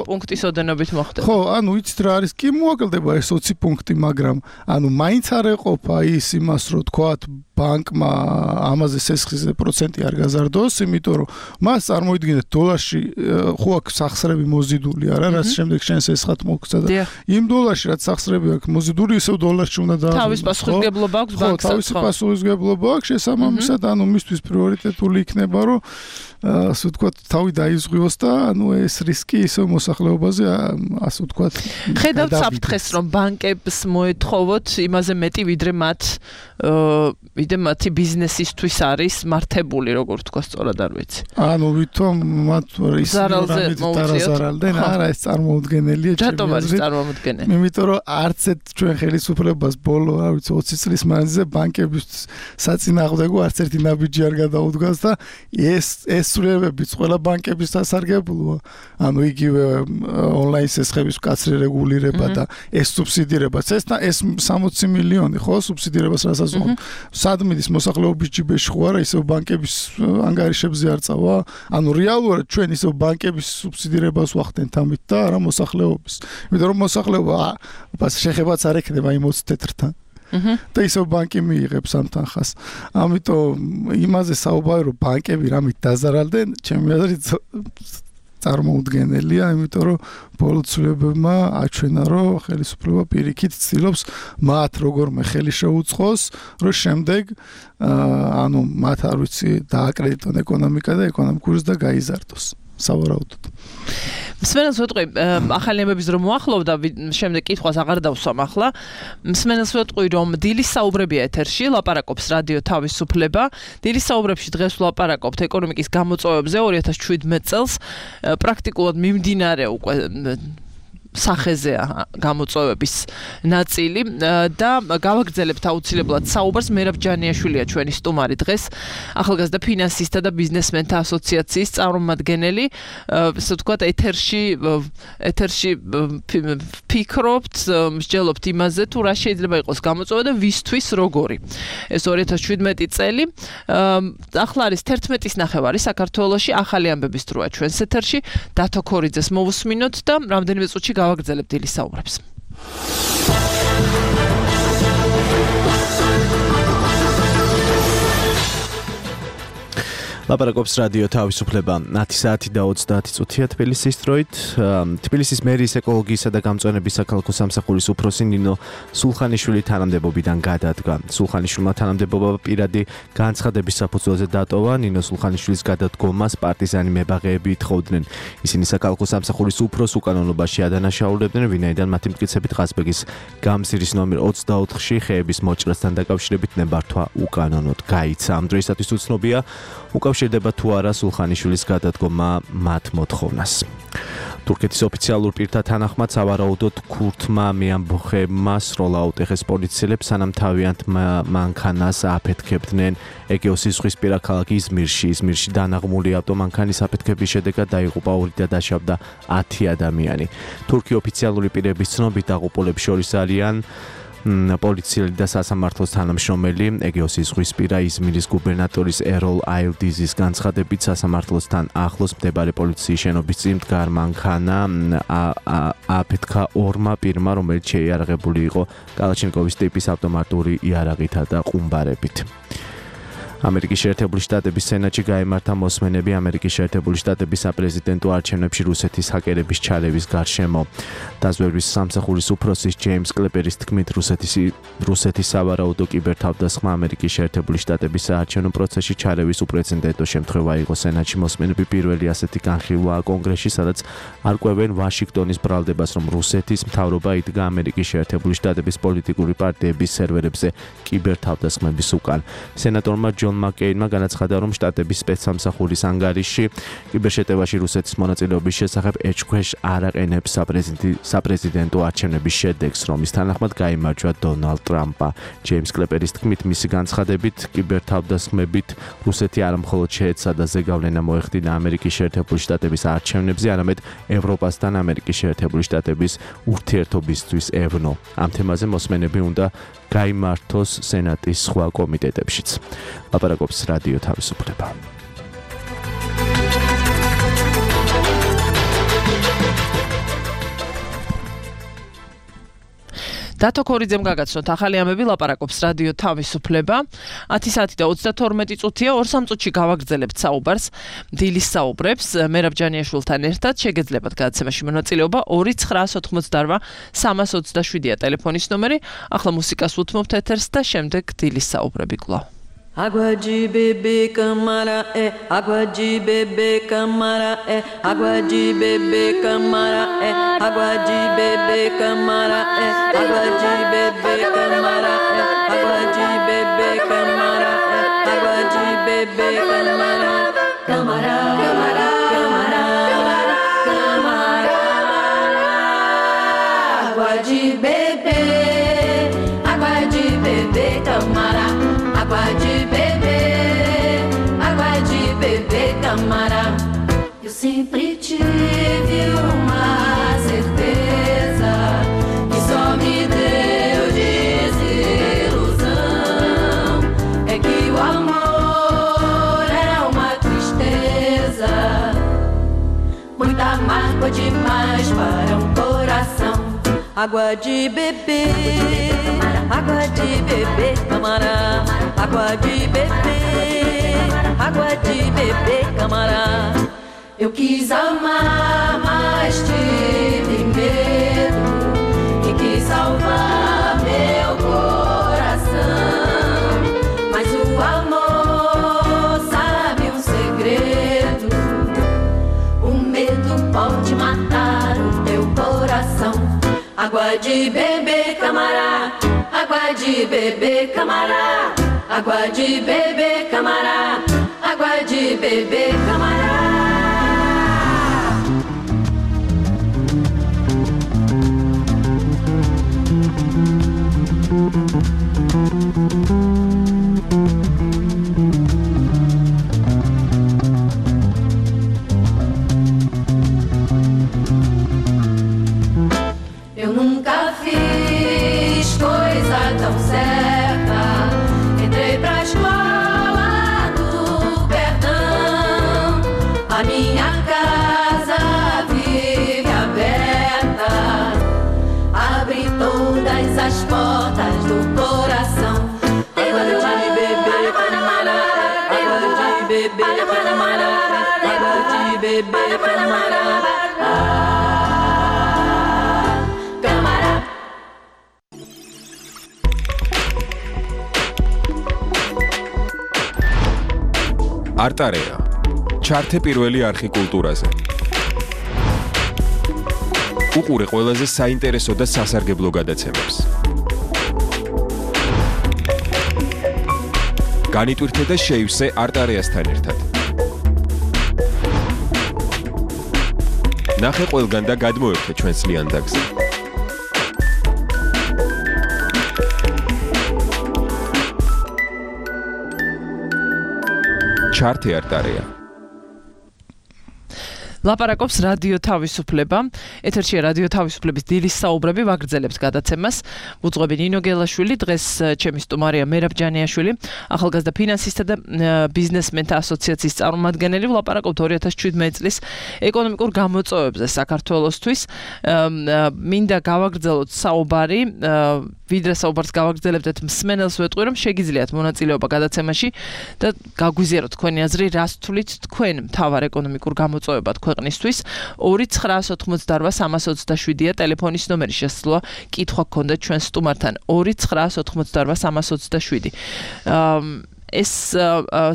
პუნქტის ოდენობით მოხდება. ხო, ანუ იცით რა არის? კი მოაკლდება ეს ოცი პუნქტი, მაგრამ ანუ მაინც არ ეყოფა ის იმას, რომ თქვათ ბანკმა ამაზე სესხის პროცენტი არ გაზარდოს, იმიტომ რომ მას წარმოიდგინეთ დოლარში ხო აქვს სახსრები მოზიდული, არა, რაც შემდეგ შენ სესხად მოგცა და იმ დოლარში რაც სახსრები აქვს მოზიდული, ისევ დოლარში უნდა დააბრუნოს. თავის პასუხისმგებლობა აქვს ბანკს. ხო, თავისი პასუხისმგებლობა აქვს, შესაბამისად, ანუ მისთვის პრიორიტეტული იქნება, რომ ასე ვთქვათ, თავი დაიზღვიოს და ანუ ეს რისკი ისევ მოსახლეობაზე ასე ვთქვათ. ხედავთ საფრთხეს, რომ ბანკებს მოეთხოვოთ იმაზე მეტი, ვიდრე მათ ვიდრე მათი ბიზნესისთვის არის მართებული, როგორ თქვა სწორად არ ვიცი. ანუ ვითომ მათ ის ზარალდენ, არა, ეს წარმოუდგენელია ჩემი აზრით. რატომ არის წარმოუდგენელი? იმიტომ რომ არც ერთ ჩვენ ხელისუფლებას ბოლო, რა ვიცი, ოცი წლის მანძილზე ბანკების საწინააღმდეგო არც ერთი ნაბიჯი არ გადაუდგას და ეს ეს სრულებებიც ყველა ბანკების დასარგებლოა. ანუ იგივე ონლაინ სესხების მკაცრი რეგულირება და ეს სუბსიდირებაც. ეს ეს სამოცი მილიონი ხო სუბსიდირებას რასაც ვუყურებთ. სადმიდის მოსახლეობის ჯიბეში ხო არა, ისევ ბანკების ანგარიშებზე არ წავა. ანუ რეალურად ჩვენ ისევ ბანკების სუბსიდირებას ვახდენთ ამით და არა მოსახლეობის. იმიტომ რომ მოსახლეობა შეხებაც არ ექნება იმ ოცი თეთრთან. და ისევ ბანკი მიიღებს ამ თანხას. ამიტომ იმაზე საუბარი რომ ბანკები რამით დაზარალდნენ, ჩემი აზრით წარმოუდგენელია, იმიტომ რომ ბოლო ცვლილებებმა აჩვენა, რომ ხელისუფლება პირიქით ცდილობს მათ როგორმე ხელი შეუწყოს, რომ შემდეგ ანუ მათ არ ვიცი დააკრედიტონ ეკონომიკა და ეკონომიკური ზრდა გაიზარდოს. სავარაუდოდ. მსმენელს ვეტყვი, ახალი ამბების რომ მოახლოვდა, შემდეგ კითხვას აღარ დავსვამ ახლა. მსმენელს ვეტყვი, რომ დილის საუბრებია ეთერში, ლაპარაკობს რადიო თავისუფლება. დილის საუბრებში დღეს ვლაპარაკობთ ეკონომიკის გამოწვევებზე ორი ათას შვიდმეტ წელს. პრაქტიკულად მიმდინარე უკვე სახეზეა გამოწვევების ნაწილი და გავაგრძელებთ აუცილებლად საუბარს. მერაბ ჯანიაშვილია ჩვენი სტუმარი დღეს, ახალგაზრდა ფინანსისტთა და ბიზნესმენთა ასოციაციის წარმომადგენელი. ასე ვთქვათ, ეთერში ეთერში ფიქრობთ, მსჯელობთ იმაზე, თუ რა შეიძლება იყოს გამოწვევა და ვისთვის როგორი. ეს ორი ათას შვიდმეტი წელი. ახლა არის თერთმეტის ნახევარი საქართველოში, ახალი ამბების დროა ჩვენს ეთერში. დათო ქორიძეს მოვუსმინოთ და რამდენიმე წუთში გავაგრძელებთ დილის საუბრებს. ლაპარაკობს რადიო თავისუფლება ათი საათი და ოცდაათი წუთია თბილისის დროით. თბილისის მერის ეკოლოგიისა და გამწვანების საქალაქო სამსახურის უფროსი ნინო სულხანიშვილი თანამდებობიდან გადადგა. სულხანიშვილმა თანამდებობა პირადი განცხადების საფუძველზე დატოვა. ნინო სულხანიშვილის გადადგომას პარტიზანი მებაღეები ითხოვდნენ. ისინი საქალაქო სამსახურის უფროს უკანონობაში ადანაშაულებდნენ, ვინაიდან მათი მტკიცებით ყაზბეგის გამზირის ნომერ ოცდაოთხში ხეების მოჭრასთან დაკავშირებით ნებართვა უკანონოდ გაიცა. ამ დროისათვის უცნობია უკავშირდება თუ არა სულხანიშვილის გადადგომა მათ მოთხოვნას. თურქეთის ოფიციალურ პირთა თანახმად სავარაუდოდ ქურთმა მეამბოხებმა სროლა აუტეხეს პოლიციელებს, სანამ თავიანთ მანქანას აფეთქებდნენ ეგეოსის ზღვისპირა ქალაქ იზმირში. იზმირში დანაღმული ავტომანქანის აფეთქების შედეგად დაიღუპა ორი და დაშავდა ათი ადამიანი. თურქი ოფიციალური პირების ცნობით დაღუპულებს შორის არიან პოლიციელი და სასამართლოს თანამშრომელი. ეგეოსის ზღვისპირა იზმირის გუბერნატორის ეროლ აილდიზის განცხადებით სასამართლოსთან ახლოს მდებარე პოლიციის შენობის წინ მდგარ მანქანა აფეთქა ორმა პირმა, რომელიც შეიარაღებული იყო კალაჩინკოვის ტიპის ავტომატური იარაღითა და ყუმბარებით. ამერიკის შეერთებული შტატების სენატში გაიმართა მოსმენები ამერიკის შეერთებული შტატების საპრეზიდენტო არჩევნებში რუსეთის ჰაკერების ჩარევის გარშემო. დაზვერვის სამსახურის უფროსის ჯეიმს კლეპერის თქმით, რუსეთის რუსეთის სავარაუდო კიბერთავდასხმა ამერიკის შეერთებული შტატების საარჩევნო პროცესში ჩარევის უპრეცედენტო შემთხვევა იყო. სენატში მოსმენები პირველი ასეთი განხილვაა კონგრესში, სადაც არკვევენ ვაშინგტონის ბრალდებას, რომ რუსეთის მთავრობა იდგა ამერიკის შეერთებული შტატების პოლიტიკური პარტიების სერვერებზე კიბერთავდასხმების უკან. სენატორმა ჯონ მაკეინმა განაცხადა, რომ შტატების სპეცსამსახურის ანგარიში კიბერშეტევაში რუსეთის მონაწილეობის შესახებ ეჭქვეშ არ აყენებს საპრეზიდენტო არჩევნების შედეგს, რომლის თანახმად გაიმარჯვა დონალდ ტრამპა. ჯეიმს კლეპერის თქმით, მისი განცხადებით კიბერთავდასხმებით რუსეთი არა მხოლოდ შეეცადა ზეგავლენა მოეხდინა ამერიკის შეერთებული შტატების არჩევნებზე, არამედ ევროპასთან ამერიკის შეერთებული შტატების ურთიერთობისთვის ევნო. ამ თემაზე მოსმენები უნდა გაიმართოს სენატის სხვა კომიტეტებშიც. ლაპარაკობს რადიო თავისუფლება. დათო ქორიძემ გაგაცნოთ ახალი ამბები, ლაპარაკობს რადიო თავისუფლება. ათი საათი და ოცდათორმეტი წუთია, ორ სამ წუთში გავაგრძელებთ საუბარს, დილის საუბრებს. მერაბ ჯანიაშვილთან ერთად შეგეძლებათ გადაცემაში მონაწილეობა. ორი ცხრაას ოთხმოცდაორვა სამას ოცდაშვიდია ტელეფონის ნომერი. ახლა მუსიკას უთმობთ ეთერს და შემდეგ დილის საუბრები კვლავ. Água de beber camara é, água de beber camara é, água de beber camara é, água de beber camara é, água de beber camara é, água de beber camara é, água de beber camara, camara, camara, camara, camara, água de beber, água de beber camara. Água de beber, água de beber, camara. Eu sempre tive uma certeza que só me deu desilusão. É que o amor era uma tristeza, muita mágoa demais para um coração. Água de beber, água de beber, camara. Água de beber, água de beber, camara. Eu quis amar, mas tive medo e quis salvar meu coração. Mas o amor sabe um segredo, o água de beber, camará, água de beber, camará, água de beber, camará, água de beber, camará. Eu nunca fiz coisa tão certa. Entrei pra escola do Perdão. A minha casa vive aberta. Abre todas as portas do coração. Água de beber, camará, água de beber, camará, água de beber, camará. არტარეა ჩართე პირველი არხი კულტურაზე. უყურე ყველაზე საინტერესო და სასარგებლო გადაცემებს. განიტვირთე და შეივსე არტარეასთან ერთად. ნახე ყველგან და გადმოერთე ჩვენს ლიანდაგზე. ჩართე არტარეა. ლაპარაკობს რადიო თავისუფლება. ეთერშია რადიო თავისუფლების დილის საუბრები, ვაგრძელებს გადაცემას. უძღვები ნინო გელაშვილი, დღეს ჩემი სტუმარია მერაბ ჯანიაშვილი, ახალგაზრდა ფინანსისტთა და ბიზნესმენთა ასოციაციის წარმომადგენელი. ვლაპარაკობთ ორი ათას შვიდმეტი წლის ეკონომიკურ გამოწვევებზე საქართველოსთვის. მინდა გავაგრძელოთ საუბარი, ვიდრე საუბარს გავაგრძელებდეთ, მსმენელს ვეტყვი, რომ შეგიძლიათ მონაწილეობა გადაცემაში და გაგვიზიაროთ თქვენი აზრი, რას თვლით თქვენ მთავარ ეკონომიკურ გამოწვევებად ქვეყნისთვის. ორი ცხრაას ოთხმოცდაორვა სამას ოცდაშვიდია ტელეფონის ნომერი, შესაძლოა კითხვა გქონდეთ ჩვენ სტუმართან. ორი ცხრაას ოთხმოცდაორვა სამას ოცდაშვიდი. ეს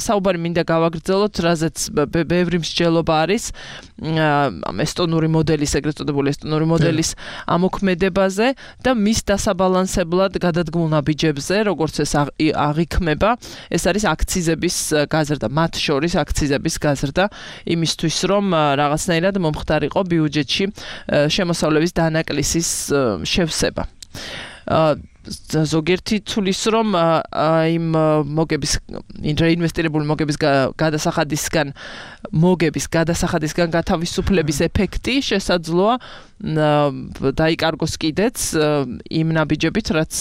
საუბარი მინდა გავაგრძელოთ, რაზეც ბევრი მსჯელობა არის ესტონური მოდელის, ეგრეთ წოდებული ესტონური მოდელის ამოქმედებაზე და მის დასაბალანსებლად გადადგმულ ნაბიჯებზე, როგორც ეს აღიქმება, ეს არის აქციზების გაზრდა, მათ შორის აქციზების გაზრდა, იმისთვის რომ რაღაცნაირად მომხდარიყო ბიუჯეტში შემოსავლების დანაკლისის შევსება. ზოგიერთი თulis რომ იმ მოგების რეინვესტირებული მოგების გადასახადისგან მოგების გადასახადისგან გათავისუფლების ეფექტი შესაძლოა დაიკარგოს კიდეც იმ ნაბიჯებით, რაც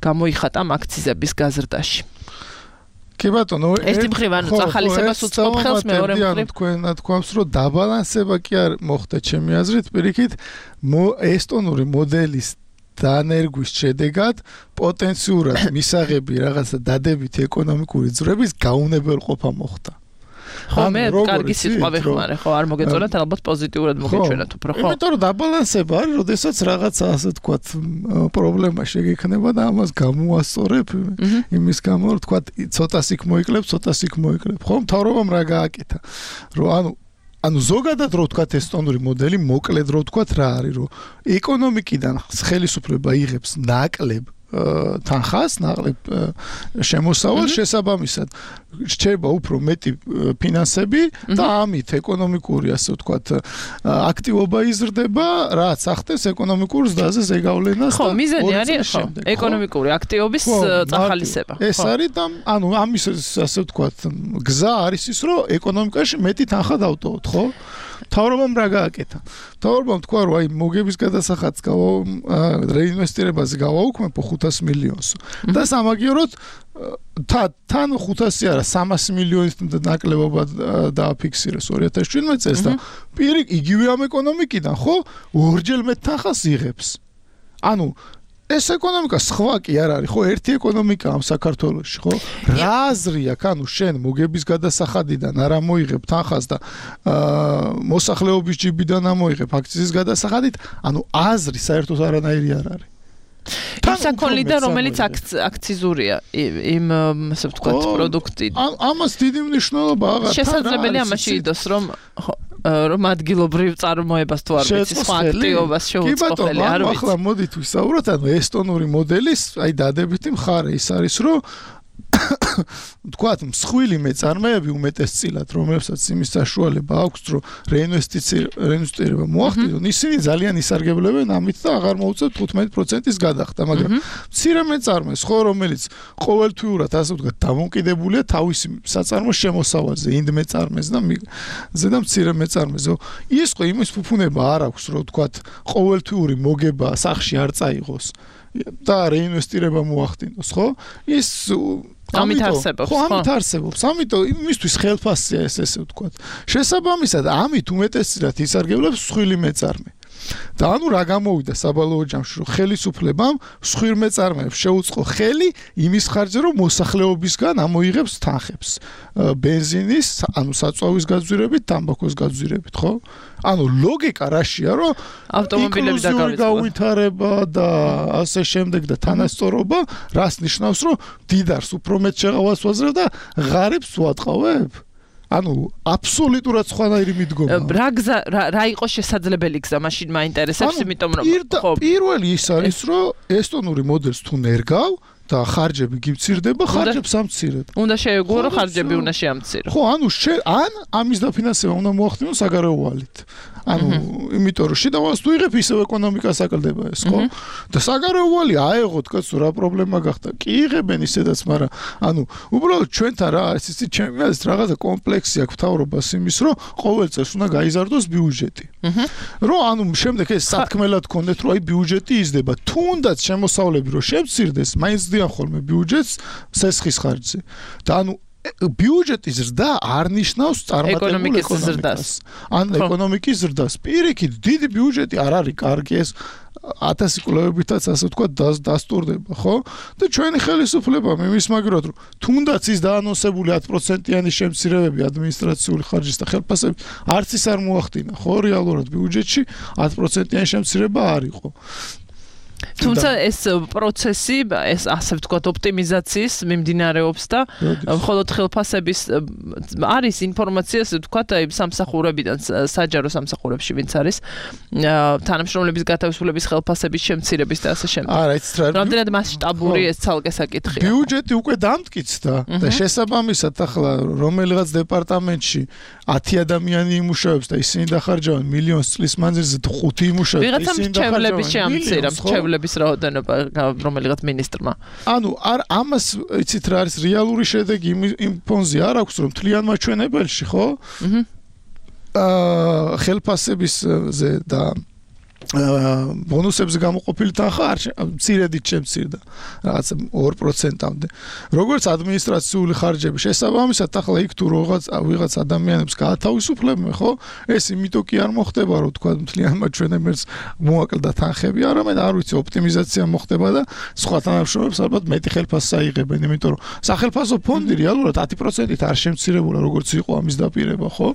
გამოიხატა აქციზების გაზრდაში. კი ბატონო, ერთი მხრივ ანუ წახალისებას უწყობ ხელს, მეორე მხრივ თქვენ თქვამს, რომ დაბალანსება კი არ მოხდა ჩემი აზრით, პირიქით ესტონური მოდელის დანერგვის შედეგად პოტენციურად მისაღები რაღაცა დადებითი ეკონომიკური ძვრების გაუნებელყოფა მოხდა. ხო, მე კარგი სიტყვა ვიხმარე, ხო, არ მოგეწონათ, ალბათ პოზიტიურად მოგეჩვენათ უფრო, ხო. იმიტომ რომ დაბალანსება არის, როდესაც რაღაცა ასე თქვათ პრობლემა შეგექნება და ამას გამოასწორებ იმის გამო, რომ თქვათ ცოტას იქ მოიკლებ, ცოტას იქ მოიკლებ. ხო, მთავრობამ რა გააკეთა? რომ ანუ ანუ ზოგადად რო ვთქვათ ესტონური მოდელი, მოკლედ რო ვთქვათ რა არის, რომ ეკონომიკიდან ხელისუფლება იღებს ნაკლებ თანხას, ნაკლებ შემოსავალს, შესაბამისად რჩება უფრო მეტი ფინანსები და ამით ეკონომიკური, ასე ვთქვათ, აქტივობა იზრდება, რაც ახდენს ეკონომიკურ ზრდაზე ზეგავლენას და ხო, მიზანი არის ხო, ეკონომიკური აქტივობის წახალისება. ეს არის და ანუ ამის ასე ვთქვათ, გზა არის ის, რომ ეკონომიკაში მეტი თანხა დავტოვოთ, ხო? მთავრობამ რა გააკეთა? მთავრობამ თქვა, რომ აი მოგების გადასახადს რეინვესტირებაზე გავაუქმებო ხუთას მილიონს და სამაგიეროდ თან ხუთასი არა სამასი მილიონის ნაკლებობა დააფიქსირეს ორი ათას შვიდმეტი წელს და პირიქით იგივე ამ ეკონომიკიდან ხო ორჯერ მეტ თანხას იღებს. ანუ ეს ეკონომიკა სხვა კი არ არის, ხო, ერთი ეკონომიკა ამ საქართველოში, ხო? რა აზრი აქვს, ანუ შენ მოგების გადასახადიდან არ ამოიღებ თანხას და მოსახლეობის ჯიბიდან ამოიღებ აქციის გადასახადით, ანუ აზრი საერთოდ არანაირი არ არის. იმ საქონლიდან, რომელიც აქციზურია, იმ ასე ვთქვათ, პროდუქტი. ამას დიდი მნიშვნელობა აღარ. შესაძლებელია ამაში იდოს, რომ რომ ადგილობრივ წარმოებას თუ არ ვიცი სხვა აქტივობას შეუწყო ხელი არ ვიცი. ახლა მოდით ვისაუბროთ, ანუ ესტონური მოდელის, აი დადებითი მხარე ის არის, რომ თქვათ, მსხვილი მეწარმეები უმეტესწილად, რომლებსაც იმის საშუალება აქვს, რომ რეინვესტირება მოახდინონ, ისინი ძალიან ისარგებლებენ ამით და აღარ მოუწევთ თხუთმეტი პროცენტის გადახდა, მაგრამ მცირე მეწარმეს, ხო, რომელიც ყოველთვიურად, ასე ვთქვათ, დამოკიდებულია თავისი საწარმოს შემოსავალზე, ინდ მეწარმეს და ზედა მცირე მეწარმეზე. ის ხო იმის ფუფუნება არ აქვს, რომ თქვათ, ყოველთვიური მოგება სახში არ წაიღოს და რეინვესტირება მოახდინოს, ხო? ის ამით არსებობს, ხო? ამით არსებობს. ამიტომ იმისთვის ხელფასია ეს ესე ვთქვათ. შესაბამისად, ამით უმეტესწილად ისარგებლებს მსხვილი მეწარმე. და ანუ რა გამოვიდა საბალოო ჯამში, რომ ხელისუფლებამ მსხვილ მეწარმეებს შეუწყო ხელი იმის ხარჯზე, რომ მოსახლეობისგან ამოიღებს თანხებს. ბენზინის, ანუ საწვავის გაძვირებით, თამბაქოს გაძვირებით, ხო? ანუ ლოგიკა რაშია, რომ ავტომობილები გავითარება და ასე შემდეგ და თანასწორობა, რას ნიშნავს, რომ დიდარს უფრო მეტ შეღავას ვაძლევ და ღარიბს ვატყავებ? ანუ აბსოლუტურად სხვანაირი მიდგომა. რა გზა რა იყო შესაძლებელი გზა მაშინ მაინტერესებს, იმიტომ რომ ხო პირველი ის არის, რომ ესტონური მოდელს თუ ნერგავ და ხარჯები გიცირდება, ხარჯებს ამცირებ. უნდა შეეგუო, რომ ხარჯები უნდა შეამცირო. ხო, ანუ ან ამის დაფინანსება უნდა მოახდინოს საგარეო ვალით. ანუ იმიტომ რომ შედავალს თუ იღებ, ისევ ეკონომიკას აკლდება ეს, ხო? და საგარეო ვალი აეღოთ, კაცო, რა პრობლემა გახდა? კი იღებენ ისედაც, მაგრამ ანუ უბრალოდ ჩვენთან რა არის, იცი, ჩემი აზრით რაღაცა კომპლექსი აქვს მთავრობას იმის, რომ ყოველ წელს უნდა გაიზარდოს ბიუჯეტი. რომ ანუ შემდეგ ეს სათქმელად გქონდეთ, რომ აი ბიუჯეტი იზრდება, თუნდაც შემოსავლები რომ შემცირდეს, მაინც დიან ხოლმე ბიუჯეტს სესხის ხარჯზე. და ანუ ბიუჯეტის ზრდა არ ნიშნავს წარმატებულ ეკონომიკას. ან ეკონომიკის ზრდას. პირიქით, დიდი ბიუჯეტი არ არის კარგი, ეს ათასი კვლევებითაც ასე ვთქვათ დასტურდება, ხო? და ჩვენი ხელისუფლება იმის მაგრად, რომ თუნდაც ის დაანონსებული ათი პროცენტიანი შემცირებები ადმინისტრაციული ხარჯის და ხელფასების არც ის არ მოახდინა, ხო? რეალურად ბიუჯეტში ათი პროცენტიანი შემცირება არ იყო. თუმცა ეს პროცესი, ეს ასე ვთქვათ, ოპტიმიზაციის მიმდინარეობს და მხოლოდ ხელფასების არის ინფორმაცია, ასე ვთქვათ, აი სამსახურებიდან, საჯარო სამსახურებში ვინც არის, თანამშრომლების გათავისუფლების ხელფასების შემცირების და ასე შემდეგ. არა, იცით რა. რამდენად მასშტაბური ეს ცალკე საკითხია. ბიუჯეტი უკვე დამტკიცდა და შესაბამისად ახლა რომელიღაც დეპარტამენტში ათი ადამიანი იმუშავებს და ისინი დახარჯავენ მილიონს წლის მანძილზე ხუთი იმუშავებს, ისინი დახარჯავენ შეამცირებს ჩევლების რაოდენობა რომელიღაც მინისტრმა. ანუ არ ამას იცით რა არის რეალური შედეგი იმ ფონზე არ აქვს, რომ მთლიან მაჩვენებელში, ხო? აა ხელფასებისზე და ბონუსებზე გამოყოფილი თანხა არ მცირედით შემცირდა რაღაც ორი პროცენტამდე. როგორც ადმინისტრაციული ხარჯები შესაბამისად ახლა იქ თუ რაღაც ვიღაც ადამიანებს გაათავისუფლებენ, ხო? ეს იმიტომ კი არ მოხდება, რომ თქვა მთლიან მაჩვენებელს მოაკლდა თანხები, არამედ არ ვიცი, ოპტიმიზაცია მოხდება და სხვა თანამშრომლებს ალბათ მეტი ხელფასს აიღებენ, იმიტომ რომ სახელფასო ფონდი რეალურად ათი პროცენტით არ შემცირებულა, როგორც იყო ამის დაპირება, ხო?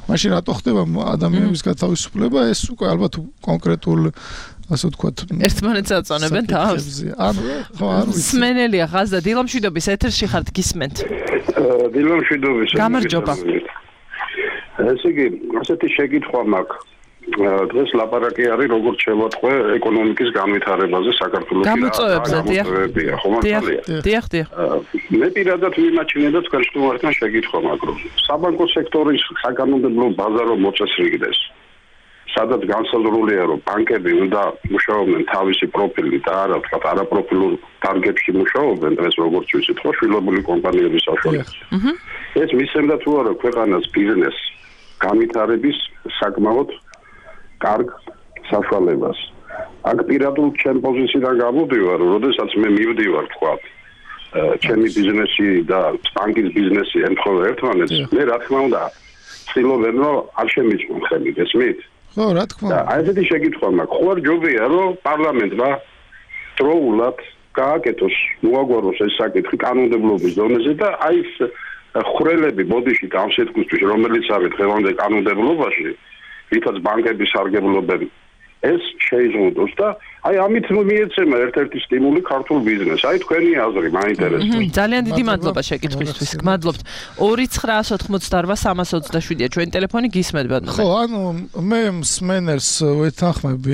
მაშინ რატო ხდება ადამიანების გათავისუფლება? ეს უკვე ალბათ კონკრეტ ასე ვთქვათ, ერთმანეთს აწონებენ თავს. ანუ ხო არ ვიცი. სმენელია ღაზა დილამშვიდობის ეთერში ხართ გისმენთ. დილამშვიდობის. გამარჯობა. ესე იგი, ასეთი შეკითხვა მაქვს. დღეს ლაპარაკი არის როგორც შევატყვე ეკონომიკის განვითარებაზე საქართველოს. გამოწვევებზე, დიახ. დიახ, დიახ, დიახ. მე პირადად ვიმაჩნია და თქვენ შეგუართან შეკითხვა მაქვს, რომ საბანკო სექტორის საკანონმდებლო ბაზა რომ მოწესრიგდეს. სადაც განსაზღვრულია, რომ ბანკები უნდა მუშაობდნენ თავისი პროფილით და არა თქვა არაპროფილურ დარგებში მუშაობენ, დღეს როგორც ვიცით, ხო, შვილობილი კომპანიების საშუალებით. ეს მისცემდა თუ არა ქვეყანას ბიზნეს განვითარების საკმაოდ კარგ საშუალებას. აქ პირადულ ჩემ პოზიციიდან გამოდივარ, როდესაც მე მივდივარ, თქვა, ჩემი ბიზნესი და ბანკის ბიზნესი ემთხვევა ერთმანეთს, მე რა თქმა უნდა, ცდილობენ, რომ არ შემიჭმონ ხელი, გესმით? ხო, რა თქმა უნდა. აი ესეთი შეკითხვა მაქვს. ხო არ ჯობია, რომ პარლამენტმა დროულად გააკეთოს, მოაგვაროს ეს საკითხი კანონმდებლობის დონეზე და აი ეს ხრელები ბოდიში გამსეთქვის, რომელიც არის დღევანდელ კანონმდებლობაში, რითაც ბანკები სარგებლობენ ეს შეიზღუდოს და აი ამით მიეცემა ერთ-ერთი სტიმული ქართულ ბიზნესს. აი თქვენი აზრი მაინტერესებს. ძალიან დიდი მადლობა შეკითხვისთვის. გმადლობთ. ორი ცხრაას ოთხმოცდაორვა სამას ოცდაშვიდია ჩვენი ტელეფონი გისმენთ ბატონო. ხო, ანუ მე მსმენელს ვეთანხმები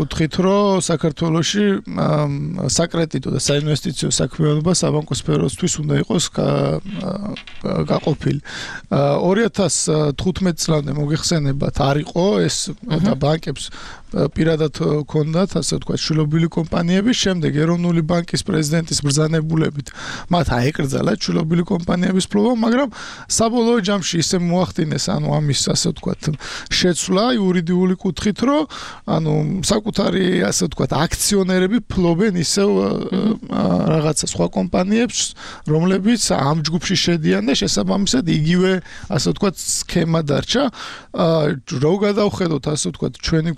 კუთხით, რომ საქართველოში საკრედიტო და საინვესტიციო საქმიანობა საბანკო სფეროსთვის უნდა იყოს გაყოფილი. ორი ათას თხუთმეტ წლამდე მოგეხსენებათ არ იყო ეს და ბანკებს პირადად ჰქონდათ ასე ვთქვათ შვილობილი კომპანიები, შემდეგ ეროვნული ბანკის პრეზიდენტის ბრძანებულებით მათ აეკრძალათ შვილობილი კომპანიების ფლობა, მაგრამ საბოლოო ჯამში ისე მოახდინეს ანუ ამის ასე ვთქვათ შეცვლა იურიდიული კუთხით, რომ ანუ საკუთარი ასე ვთქვათ აქციონერები ფლობენ ისევ რაღაცა სხვა კომპანიებს, რომლებიც ამ ჯგუფში შედიან და შესაბამისად იგივე ასე ვთქვათ სქემა დარჩა. რო გადავხედოთ ასე ვთქვათ ჩვენი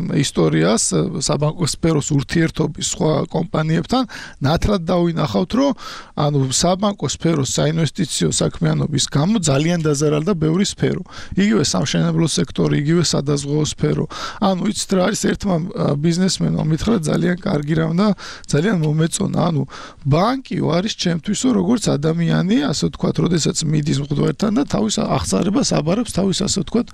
ისტორიას საბანკო სფეროს ურთიერთობის სხვა კომპანიებთან, ნათლად დავინახავთ, რომ ანუ საბანკო სფეროს საინვესტიციო საქმიანობის გამო ძალიან დაზარალდა ბევრი სფერო. იგივე სამშენებლო სექტორი, იგივე სადაზღვეო სფერო. ანუ იცით რა არის ერთმა ბიზნესმენმა მითხრა ძალიან კარგი რამ და ძალიან მომეწონა. ანუ ბანკი არის ჩემთვისო როგორც ადამიანი, ასე ვთქვათ, როდესაც მიდის მღვდელთან და თავის აღწარებას აბარებს, თავის ასე ვთქვათ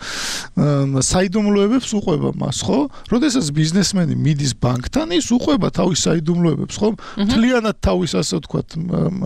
საიდუმლოებებს უყვება მას, ხო? როდესაც ბიზნესმენი მიდის ბანკთან, ის უყვება თავის საიდუმლოებებს, ხო? მთლიანად თავის ასე ვთქვათ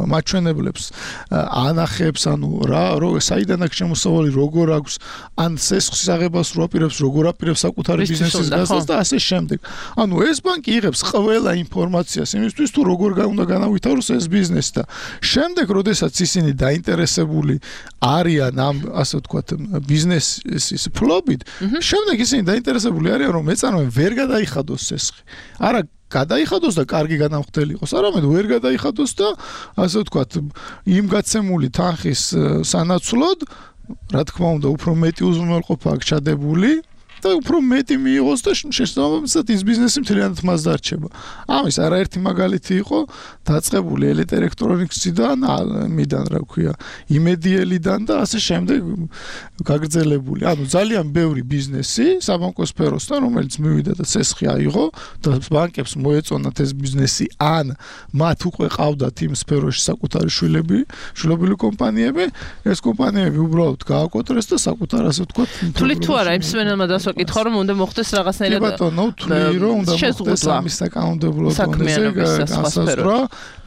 მაჩვენებლებს ანახებს, ანუ რა, საიდან აქვს შემოსავალი, როგორ აქვს, ან სესხის აღებას რო აპირებს, როგორ აპირებს საკუთარი ბიზნესის გაზრდას და ასე შემდეგ. ანუ ეს ბანკი იღებს ყველა ინფორმაციას იმისთვის, თუ როგორ უნდა განავითაროს ეს ბიზნესი და შემდეგ, როდესაც ისინი დაინტერესებული არიან ამ ასე ვთქვათ ბიზნესის ფლობით, შემდეგ ისინი დაინტერესებული არიან, რომ მეწარმე ვერ გადაიხადოს სესხი. არა გადაიხადოს და კარგი განამხდელი იყოს, არამედ ვერ გადაიხადოს და ასე ვთქვათ იმ გაცემული თანხის სანაცვლოდ, რა თქმა უნდა, უფრო მეტი უზრუნველყოფა აქვს ჩადებული და უფრო მეტი მიიღოს და შესაბამისად ის ბიზნესი მთლიანად მას დარჩება. ამის არაერთი მაგალითი იყო დაწყებული ელიტ ელექტრონიკსიდან, მიდან რა ქვია, იმედიელიდან და ასე შემდეგ გაგრძელებული. ანუ ძალიან ბევრი ბიზნესი საბანკო სფეროსთან, რომელიც მივიდა და ცესხი აიღო და ბანკებს მოეწონათ ეს ბიზნესი, ან მათ უკვე ყავდათ იმ სფეროში საკუთარი შვილები, შვილობილი კომპანიები, ეს კომპანიები უბრალოდ გააკოტრეს და საკუთარ ასე ვთქვათ. თვლით თუ არა იმ სმენელმა დასვაკითხა, რომ უნდა მოხდეს რაღაცნაირად. კი ბატონო, თვლი რომ უნდა მოხდეს ამის საკანონმდებლო დონეზე განსაზღვრა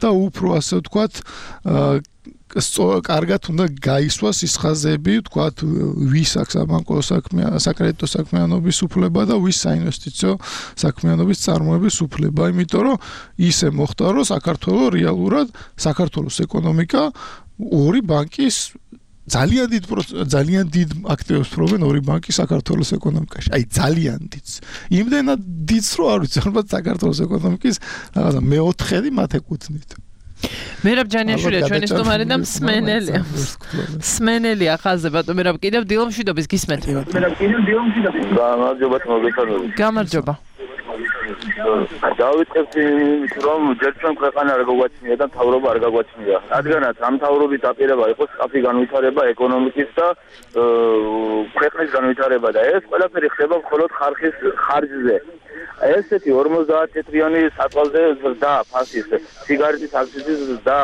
და უფრო ასე ვთქვათ კარგად უნდა გაისვას ის ხაზები, ვთქვათ, ვის აქვს საბანკო საკრედიტო საქმიანობის უფლება და ვის საინვესტიციო საქმიანობის წარმოების უფლება, იმიტომ რომ ისე მოხდა, რომ საქართველოს რეალურად საქართველოს ეკონომიკა ორი ბანკის ძალიან დიდ ძალიან დიდ აქტივებს ფლობენ ორი ბანკი საქართველოს ეკონომიკაში. აი ძალიან დიდს. იმდენად დიდს, რომ არ ვიცი, ალბათ საქართველოს ეკონომიკის რაღაცა მეოთხედი მათ ეკუთვნით. მერაბ ჯანიაშვილია ჩვენი სტუმარი და მსმენელია. მსმენელია ხაზზე ბატონო მერაბ კიდევ დილომშვიდობის გისმენთ. მერაბ კიდევ დილომშვიდობის. გამარჯობა მოგესალმებით. გამარჯობა. დავიწყებთ იმით, რომ ჯერ ჩვენ ქვეყანა არ გაგვაჩნია და მთავრობა არ გაგვაჩნია. რადგანაც ამ მთავრობის დაპირება იყო სწრაფი განვითარება ეკონომიკის და ქვეყნის განვითარება და ეს ყველაფერი ხდება მხოლოდ ხარხის ხარჯზე. ესეთი ორმოცდაათი წლიანი საწვალზე ზრდა ფასის, სიგარეტის აქციზის ზრდა,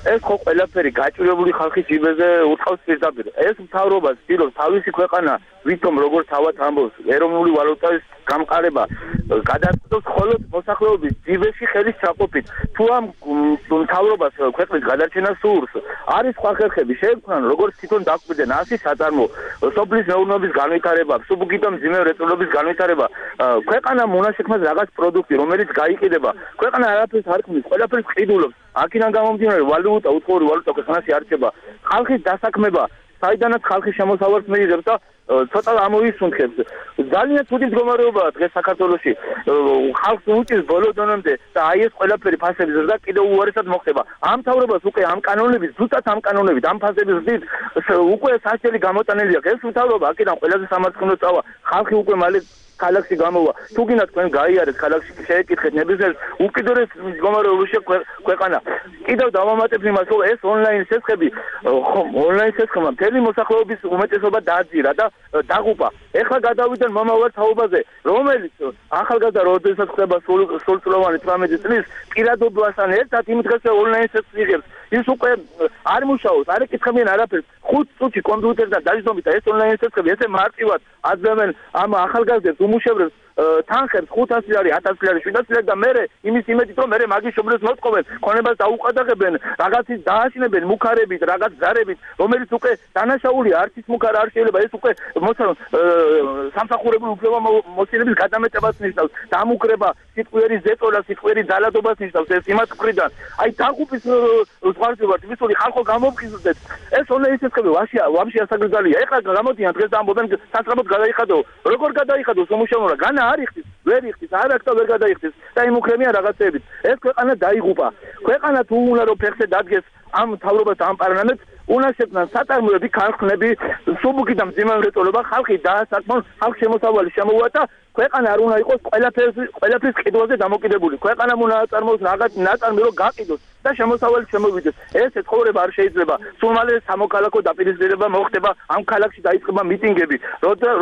ეს ხო ყველაფერი გაჭირებული ხალხის ჯიბეზე უწყავს პირდაპირ. ეს მთავრობა ცდილობს თავისი ქვეყანა ვითომ როგორც თავად ამბობს, ეროვნული ვალუტის გამყარება გადაწყვეტს მხოლოდ მოსახლეობის ჯიბეში ხელის ჩაყოფით. თუ ამ მთავრობას ქვეყნის გადარჩენა სურს, არის სხვა ხერხები შეექმნან, როგორც თვითონ დაკვირდნენ ასი საწარმო, სოფლის მეურნეობის განვითარება, სუბუქი და მძიმე რეწველობის განვითარება, ქვეყანა მონაშექმას რაღაც პროდუქტი, რომელიც გაიყიდება, ქვეყანა არაფერს არ ქმნის, ყველაფერს ყიდულობს. აქედან გამომდინარე ვალუტა, უცხოური ვალუტა ქვეყანაში არჩება, ხალხის დასაქმება, საიდანაც ხალხი შემოსავალს მიიღებს და ცოტა ამოისუნთქებს. ძალიან ცუდი მდგომარეობაა დღეს საქართველოში. ხალხს უჭირს ბოლო დონემდე და აი ეს ყველაფერი ფასების ზრდა კიდევ უარესად მოხდება. ამ მთავრობას უკვე ამ კანონების, ზუსტად ამ კანონებით, ამ ფასების ზრდით უკვე სასჯელი გამოტანილი აქვს. ეს მთავრობა აქედან ყველაზე სამარცხინო წავა. ხალხი უკვე მალე ქალაქში გამოვა. თუ გინდა თქვენ გაიარეთ ქალაქში შეეკითხეთ ნებისმიერ უკიდურეს მდგომარეობაში ქვეყანა. კიდევ დავამატებ იმას, რომ ეს ონლაინ სესხები, ონლაინ სესხებმა მთელი მოსახლეობის უმეტესობა დააძირა და დაღუპა. ეხლა გადავიდან მომავალ თაობაზე, რომელიც ახალგაზრდა როდესაც ხდება სრულწლოვანი თვრამეტი წლის პირადობასთან ერთად იმ დღეს ონლაინ სესს იღებს. ის უკვე არ მუშაობს, არ ეკითხებიან არაფერს. ხუთ წუთში კომპიუტერთან დაჯდომით და ეს ონლაინ სესები ესე მარტივად აძლევენ ამ ახალგაზრდებს უმუშევრებს თანხებს ხუთასი ლარი, ათასი ლარი, შვიდასი ლარი და მერე იმის იმედით რომ მერე მაგის შობლებს მოწყობენ, ქონებას დაუყადაღებენ, რაღაცის დააშინებენ მუქარებით, რაღაც ზარებით, რომელიც უკვე დანაშაულია, არც ის მუქარა არ შეიძლება ეს უკვე მოსალო სამსახურებრივი უფლებამოსილების გადამეტებას ნიშნავს, დამუქრება, სიტყვიერი ზეწოლა, სიტყვიერი ძალადობას ნიშნავს ეს იმათ მხრიდან. აი დაღუპის ზღვარზე ვართ, ვისული ხალხო გამოფხიზლდეთ. ეს ონლაინ სესები ვაშია, ვამში ასაგრძალია. ეხლა გამოდიან დღეს ამბობენ სასწრაფოდ გადაიხადო. როგორ გადაიხადოს უმუშევრობა? განა არ იხდის, ვერ იხდის, არ აქ ვერ გადაიხდის და იმუქრებიან რაღაცეებით. ეს ქვეყანა დაიღუპა. ქვეყანა თუ უნდა რომ ფეხზე დადგეს ამ თავრობას ამ პარლამენტს, უნდა შექმნან საწარმოები, ქარხნები, სუბუქი და მძიმე მრეწველობა, ხალხი დაასაკმონ, ხალხ შემოსავალი შემოუვადა, ქვეყანა არ უნდა იყოს ყველაფერს ყველაფრის ყიდვაზე დამოკიდებული. ქვეყანამ უნდა აწარმოოს რაღაც ნაწარმი რომ გაყიდოს და შემოსავალი შემოვიდეს. ეს ცხოვრება არ შეიძლება. სულ მალე სამოქალაქო დაპირისპირება მოხდება, ამ ქალაქში დაიწყება მიტინგები,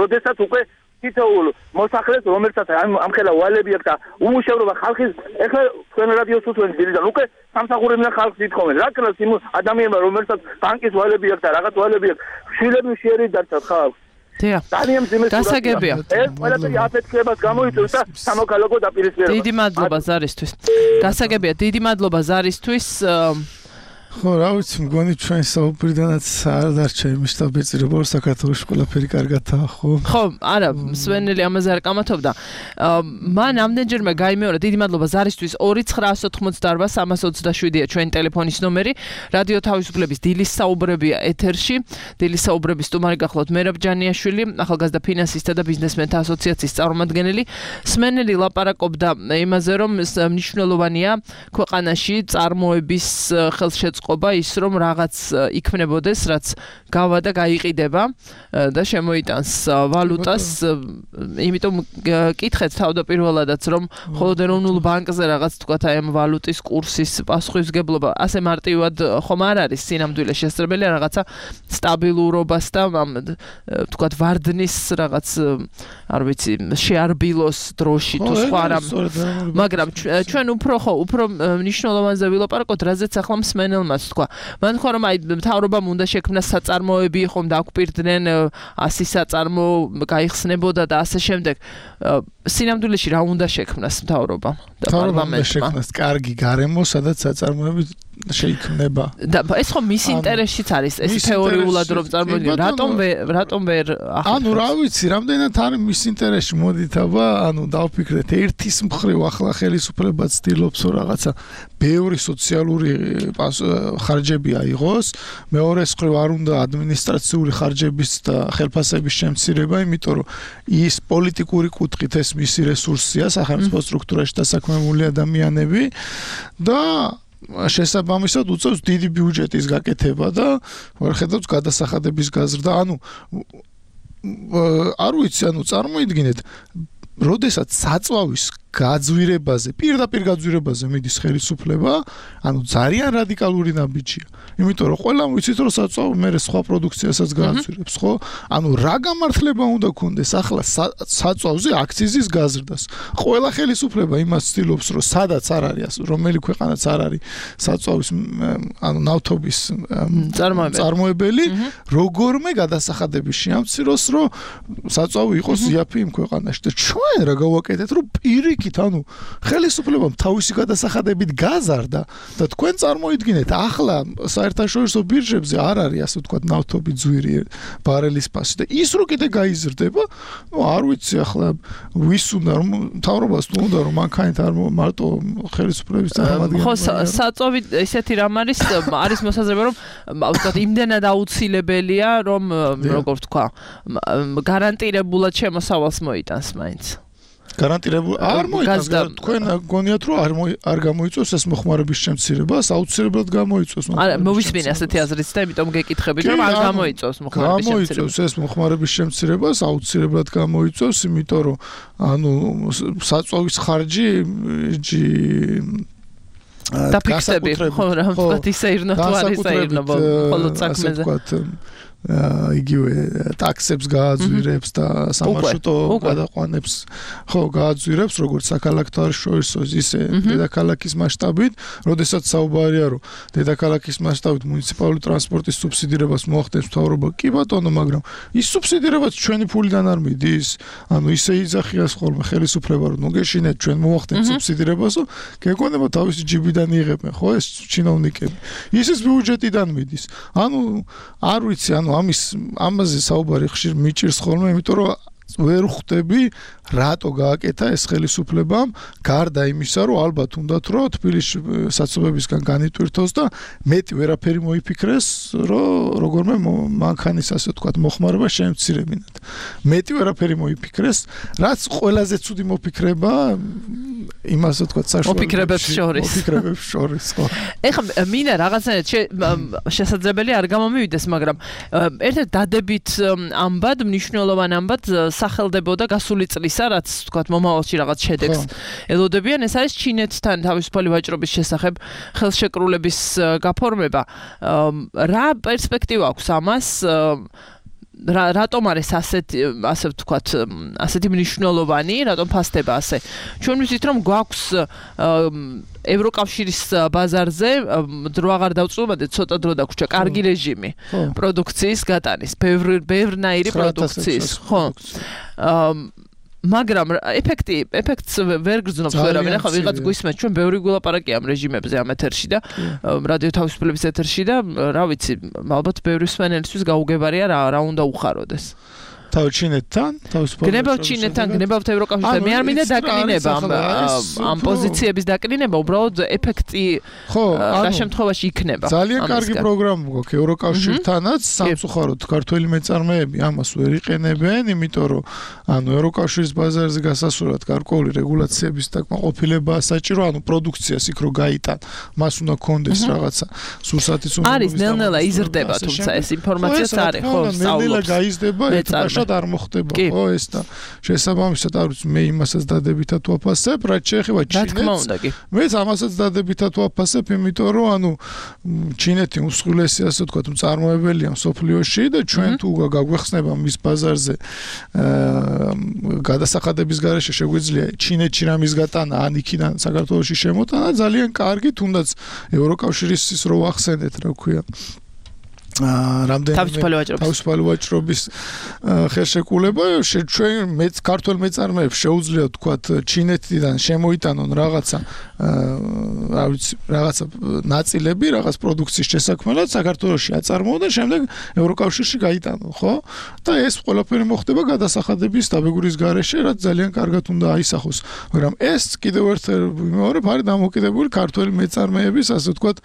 როდესაც უკვე თითოეულ მოსახლეს, რომელსაც ამ ხელა ვალები აქვს და უმუშევრობა ხალხის, ეხლა თქვენ რადიოს უთმობთ დილიდან, უკვე სამსახურებიდან ხალხს ითხოვენ. რა ქნას იმ ადამიანმა, რომელსაც ბანკის ვალები აქვს და რაღაც ვალები აქვს, შვილები შეერი დარჩათ ხალხს. დიახ. ძალიან მძიმე გასაგებია. ეს ყველაფერი აფეთქებას გამოიწვევს და სამოქალაქო დაპირისპირებას. დიდი მადლობა ზარისთვის. გასაგებია, დიდი მადლობა ზარისთვის. ხო, რა ვიცი, მგონი ჩვენ საუბრიდანაც არ დარჩა იმის დაბეჭირება, რომ საქართველოს ყველაფერი კარგადაა, ხო? ხო, არა, სვენელი ამაზე არ კამათობდა. მან ამდენჯერმე გაიმეორა, დიდი მადლობა ზარისთვის. ორი ცხრაასი ოთხმოცდაარბა სამას ოცდაშვიდია ჩვენი ტელეფონის ნომერი. რადიო თავისუფლების დილის საუბრებია ეთერში. დილის საუბრების სტუმარი გახლავთ მერაბ ჯანიაშვილი, ახალგაზრდა ფინანსისტთა და ბიზნესმენთა ასოციაციის წარმომადგენელი. სვენელი ლაპარაკობდა იმაზე, რომ მნიშვნელოვანია ქვეყანაში წარმოების ხელშეწყობა ყობა ის რომ რაღაც იქმნებოდეს, რაც გავა და გაიყიდება და შემოიტანს ვალუტას. იმიტომ კითხეთ თავდაპირველადაც რომ მხოლოდ ეროვნულ ბანკზე რაღაც თქვათ აი ამ ვალუტის კურსის პასუხისმგებლობა ასე მარტივად ხომ არ არის სინამდვილე შესაძლებელია რაღაცა სტაბილურობას და თქვათ ვარდნის რაღაც არ ვიცი შეარბილოს დროში თუ სხვა რამ. მაგრამ ჩვენ უფრო ხო უფრო მნიშვნელოვანზე ვილაპარაკოთ, რაზეც ახლა მსმენელმა თქვა. მან თქვა რომ აი მთავრობამ უნდა შექმნას საწარმოები, ხომ დაგვპირდნენ ასი საწარმო გაიხსნებოდა და ასე შემდეგ. სინამდვილეში რა უნდა შექმნას მთავრობამ და პარლამენტმა? შექმნას კარგი გარემო, სადაც საწარმოები შეიქმნება. და ეს ხო მის ინტერესშიც არის, ეს თეორიულად რომ წარმოიდგინე, რატომ რატომ ვერ ანუ რა ვიცი, რამდენად არის მის ინტერესში, მოდით აბა, ანუ დავფიქრეთ, ერთის მხრივ ახლა ხელისუფლება ცდილობს რომ რაღაცა ბევრი სოციალური ხარჯები აიღოს, მეორეს მხრივ არ უნდა ადმინისტრაციული ხარჯების და ხელფასების შემცირება, იმიტომ რომ ის პოლიტიკური კუთხით ეს მისი რესურსია, სახელმწიფო სტრუქტურაში დასაქმებული ადამიანები და შესაბამისად უწევს დიდი ბიუჯეტის გაკეთება და ვერხედავს გადასახადების გაზრდა. ანუ არ ვიცი, ანუ წარმოიდგინეთ, როდესაც საწვავის გაძვირებაზე, პირდაპირ გაძვირებაზე მიდის ხელისუფლება, ანუ ძალიან რადიკალური ნაბიჯია. იმიტომ რომ ყველამ ვიცით რომ საწვავი მე სხვა პროდუქციასაც გააძვირებს, ხო? ანუ რა გამართლება უნდა გქონდეს ახლა საწვავზე აქციზის გაზრდას. ყველა ხელისუფლება იმას ცდილობს რომ სადაც არ არის, რომელი ქვეყანაც არ არის საწვავის ანუ ნავთობის წარმოებელი, როგორმე გადასახადების შეამციროს, რომ საწვავი იყოს იაფი იმ ქვეყანაში. და ჩვენ რა გავაკეთეთ, რომ პირიქით, ანუ ხელისუფლებამ თავისი გადასახადებით გაზარდა და თქვენ წარმოიდგინეთ, ახლა საერთაშორისო ბირჟებზე არ არის ასე ვთქვათ ნავთობის ძვირი ბარელის ფასი და ის რო კიდე გაიზრდება, ნუ არ ვიცი ახლა ვის უნდა რომ მთავრობას თუ უნდა რომ მანქანით არ მარტო ხელისუფლების წარმომადგენლები. ხო, საწვავი ესეთი რამ არის, არის მოსაზრება რომ ვთქვათ იმდენად აუცილებელია, რომ როგორ ვთქვა, გარანტირებულად შემოსავალს მოიტანს მაინც. გარანტირებული არ მოიწევს თქვენ გონიათ რომ არ არ გამოიწევს ეს მოხმარების შემცირებას, აუცილებლად გამოიწევს. არა, მოვისმინე ასეთი აზრიც და იმიტომ გეკითხებით რომ არ გამოიწევს მოხმარების შემცირებას. გამოიწევს ეს მოხმარების შემცირებას, აუცილებლად გამოიწევს, იმიტომ რომ ანუ საწვავის ხარჯი ჯი და ფიქსები, ხო, რა ვთქვათ, ისე ირნო თუ არ ისე ირნო, მხოლოდ საქმეზე. იგივე ტაქსებს გააძვირებს და სამარშრუტო გადაყვანებს ხო გააძვირებს როგორც საქალაქო შორისო ისე დედაქალაქის მასშტაბით, როდესაც საუბარია რომ დედაქალაქის მასშტაბით მუნიციპალური ტრანსპორტის სუბსიდირებას მოახდენს მთავრობა, კი ბატონო, მაგრამ ის სუბსიდირებაც ჩვენი ფულიდან არ მიდის. ანუ ისე იძახიას ხოლმე ხელისუფლება რომ ნუგეშინეთ ჩვენ მოახდენთ სუბსიდირებასო, გეკონება თავისი ჯიბიდან იღებენ, ხო ეს ჩინოვნიკები. ისის ბიუჯეტიდან მიდის. ანუ არ ვიცი, ანუ ამის ამაზე საუბარი ხშირ მიჭირს ხოლმე, იმიტომ რომ ვერ ხვდები რატო გააკეთა ეს ხელისუფლებამ, გარდა იმისა, რომ ალბათ უნდათ რომ თბილისში საცობებისგან განიტვირთოს და მეტი ვერაფერი მოიფიქრეს, რომ როგორმე მანქანის ასე ვთქვათ მოხმარება შემცირებინათ. მეტი ვერაფერი მოიფიქრეს, რაც ყველაზე ცუდი მოფიქრება იმას ვთქვათ საშუალო მოფიქრებებს შორის. მოფიქრებებს შორის, ხო. ეხლა მინდა რაღაცნაირად შესაძლებელი არ გამომივიდეს, მაგრამ ერთ-ერთ დადებით ამბად, მნიშვნელოვან ამბად სახელდებოდა გასული წლისა, რაც თქვათ მომავალში რაღაც შედეგს ელოდებიან, ეს არის ჩინეთთან თავისუფალი ვაჭრობის შესახებ ხელშეკრულების გაფორმება. რა პერსპექტივა აქვს ამას? რატომ არის ასეთი ასე ვთქვათ, ასეთი მნიშვნელოვანი, რატომ ფასდება ასე? ჩვენ ვიცით რომ გვაქვს ევროკავშირის ბაზარზე დრო აღარ დავწუხდეთ, ცოტა დრო დაგვრჩა, კარგი რეჟიმი პროდუქციის გატანის, ბევრნაირი პროდუქციის, ხო. მაგრამ ეფექტი ეფექტს ვერ გრძნობს ვერავინ. ახლა ვიღაც გვისმენთ, ჩვენ ბევრი გულაპარაკია ამ რეჟიმებზე ამ ეთერში და რადიო თავისუფლების ეთერში და რა ვიცი, ალბათ ბევრი მსმენელისთვის გაუგებარია რა რა უნდა უხაროდეს. თავ ჩინეთთან, თავისუფლად. გნებავთ ჩინეთთან, გნებავთ ევროკავშირთან. მე არ მინდა დაკნინება ამ პოზიციების დაკნინება, უბრალოდ ეფექტი რა შემთხვევაში იქნება. ძალიან კარგი პროგრამა გვაქვს ევროკავშირთანაც, სამწუხაროდ ქართველი მეწარმეები ამას ვერ იყენებენ, იმიტომ რომ ანუ ევროკავშირის ბაზარზე გასასვლელად გარკვეული რეგულაციების დაკმაყოფილება საჭირო, ანუ პროდუქციას იქ რო გაიტან, მას უნდა კონდეს რაღაცა სურსათის უნდა არის ნელ-ნელა იზრდება, თუმცა ეს ინფორმაციაც არის, ხო, სწავლობს. ნელ-ნელა გაიზრდება, არ მოხდება ხო ეს და შესაბამისად არ ვიცი მე იმასაც დადებითად ვაფასებ, რაც შეეხება ჩინეთს. მეც ამასაც დადებითად ვაფასებ, იმიტომ რომ ანუ ჩინეთი უმსხვილესი ასე ვთქვათ მწარმოებელია მსოფლიოში და ჩვენ თუ გაგვეხსნება მის ბაზარზე გადასახადების გარეშე შეგვიძლია ჩინეთში რამის გატანა, ან იქიდან საქართველოში შემოტანა, ძალიან კარგი, თუნდაც ევროკავშირის ის რო ვახსენეთ, რა ქვია. რამდენიმე თავისუფალი ვაჭრობის ხელშეკრულება ჩვენ მეც ქართულ მეწარმეებს შეუძლია თქვათ ჩინეთიდან შემოიტანონ რაღაცა რა ვიცი რაღაცა ნაწილები რაღაც პროდუქციის შესაქმნელად საქართველოში აწარმოონ და შემდეგ ევროკავშირში გაიტანონ, ხო? და ეს ყველაფერი მოხდება გადასახადების დაბეგვრის გარეშე, რაც ძალიან კარგად უნდა აისახოს. მაგრამ ეს კიდევ ერთხელ ვიმეორებ, არის დამოკიდებული ქართული მეწარმეების ასე ვთქვათ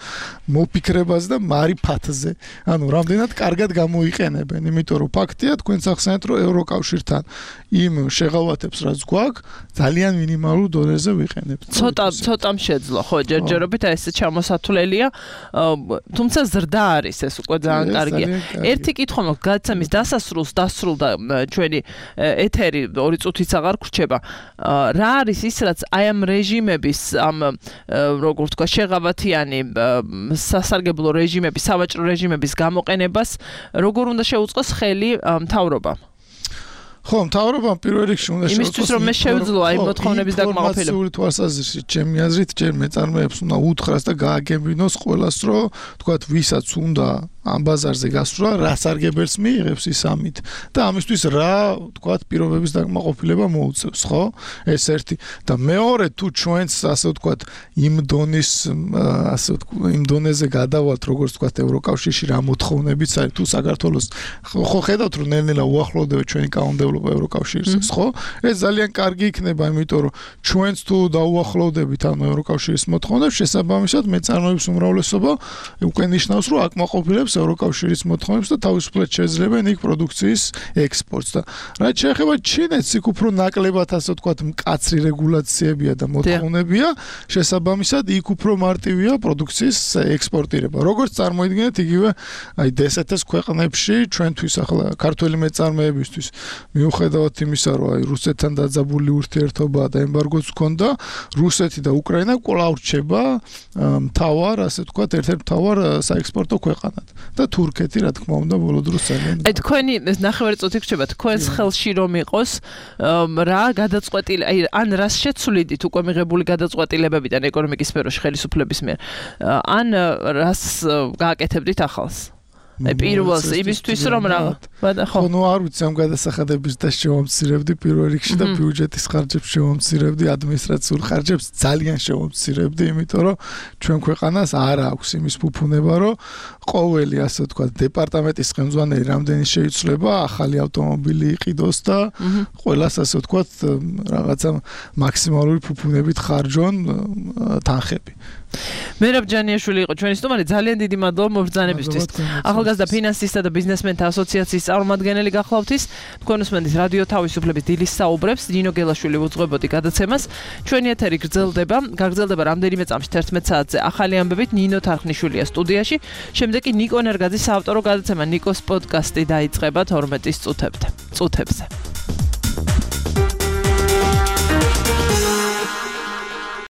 მოფიქრებაზე და მარიფათზე. ანუ რამდენად კარგად გამოიყენებენ, იმიტომ რომ ფაქტია თქვენ ახსენეთ რომ ევროკავშირთან იმ შეღავათებს რაც გვაქვს ძალიან მინიმალურ დონეზე ვიყენებთ. ცოტა ცოტამ შეძლო, ხო, ჯერჯერობით ეს ჩამოსათვლელია, თუმცა ზრდა არის ეს უკვე ძალიან კარგია. ერთი კითხვა მაქვს, გადაცემის დასასრულს დასრულდა ჩვენი ეთერი ორი წუთიც აღარ გრჩება. რა არის ის რაც აი ამ რეჟიმების ამ როგორ ვთქვა შეღავათიანი სასარგებლო რეჟიმების, სავაჭრო რეჟიმების გამოყენებას როგორ უნდა შეუწყოს ხელი მთავრობამ? ხო, მთავრობამ პირველ რიგში უნდა შეუწყოს იმისთვის რომ მე შევძლო აი მოთხოვნების დაკმაყოფილება. ინფორმაციული თვალსაზრისით ჩემი აზრით ჯერ მეწარმეებს უნდა უთხრას და გააგებინოს ყველას რომ თქვათ ვისაც უნდა ამ ბაზარზე გასვლა, რა სარგებელს მიიღებს ის ამით და ამისთვის რა თქვათ პირობების დაკმაყოფილება მოუწევს, ხო? ეს ერთი და მეორე თუ ჩვენც ასე ვთქვათ იმ დონის ასე ვთქვათ იმ დონეზე გადავალთ როგორც ვთქვათ ევროკავშირში რა მოთხოვნებიც არის თუ საქართველოს ხო ხედავთ რომ ნელ-ნელა უახლოვდება ჩვენი კანონმდებლობა ევროკავშირის, ხო? ეს ძალიან კარგი იქნება, იმიტომ რომ ჩვენც თუ დაუახლოვდებით ამ ევროკავშირის მოთხოვნებს, შესაბამისად მეწარმეების უმრავლესობა უკვე ნიშნავს რომ აკმაყოფილებს ევროკავშირის მოთხოვნებს და თავისუფლად შეძლებენ იქ პროდუქციის ექსპორტს და რაც შეეხება ჩინეთს, იქ უფრო ნაკლებად ასე ვთქვათ მკაცრი რეგულაციებია და მოთხოვნებია, შესაბამისად იქ უფრო მარტივია პროდუქციის ექსპორტირება. როგორც წარმოიდგინეთ, იგივე აი დსთ-ს ქვეყნებში ჩვენთვის ახლა ქართველი მეწარმეებისთვის მიუხედავად იმისა, რომ აი რუსეთთან დაძაბული ურთიერთობა და ემბარგოც ჰქონდა, რუსეთი და უკრაინა კვლავ რჩება მთავარ, ასე ვთქვათ, ერთ-ერთ მთავარ საექსპორტო ქვეყანად. და თურქეთი რა თქმა უნდა ბოლო დროს ძალიან აი თქვენი ნახევარი წუთი გრჩება თქვენს ხელში რომ იყოს რა გადაწყვეტილი აი ან რას შეცვლიდით უკვე მიღებული გადაწყვეტილებებიდან ეკონომიკის სფეროში ხელისუფლების მიერ ან რას გააკეთებდით ახალს აი პირველს იმისთვის რომ რა ხო ნუ არ ვიცი ამ გადასახადების და შევამცირებდი პირველ რიგში და ბიუჯეტის ხარჯებს შევამცირებდი ადმინისტრაციულ ხარჯებს ძალიან შევამცირებდი იმიტომ რომ ჩვენ ქვეყანას არ აქვს იმის ფუფუნება რომ ყოველი ასე ვთქვათ დეპარტამენტის ხელმძღვანელი რამდენი შეიცვლება ახალი ავტომობილი იყიდოს და ყველას ასე ვთქვათ რაღაცა მაქსიმალური ფუფუნებით ხარჯონ თანხები მერაბ ჯანიაშვილი იყო ჩვენი სტუმარი ძალიან დიდი მადლობა მობრძანებისთვის ახალგაზრდა ფინანსისტთა და ბიზნესმენთა ასოციაციის წარმომადგენელი გახლავთ ის თქვენ უსმენთ რადიო თავისუფლების დილის საუბრებს ნინო გელაშვილი უძღვებოდი გადაცემას ჩვენი ეთერი გრძელდება გაგრძელდება რამდენიმე წამში თერთმეტ საათზე ახალი ამბებით ნინო თარხნიშვილია სტუდიაში შემდეგ კი ნიკო ნერგაძის საავტორო გადაცემა ნიკოს პოდკასტი დაიწყება თორმეტის წუთებზე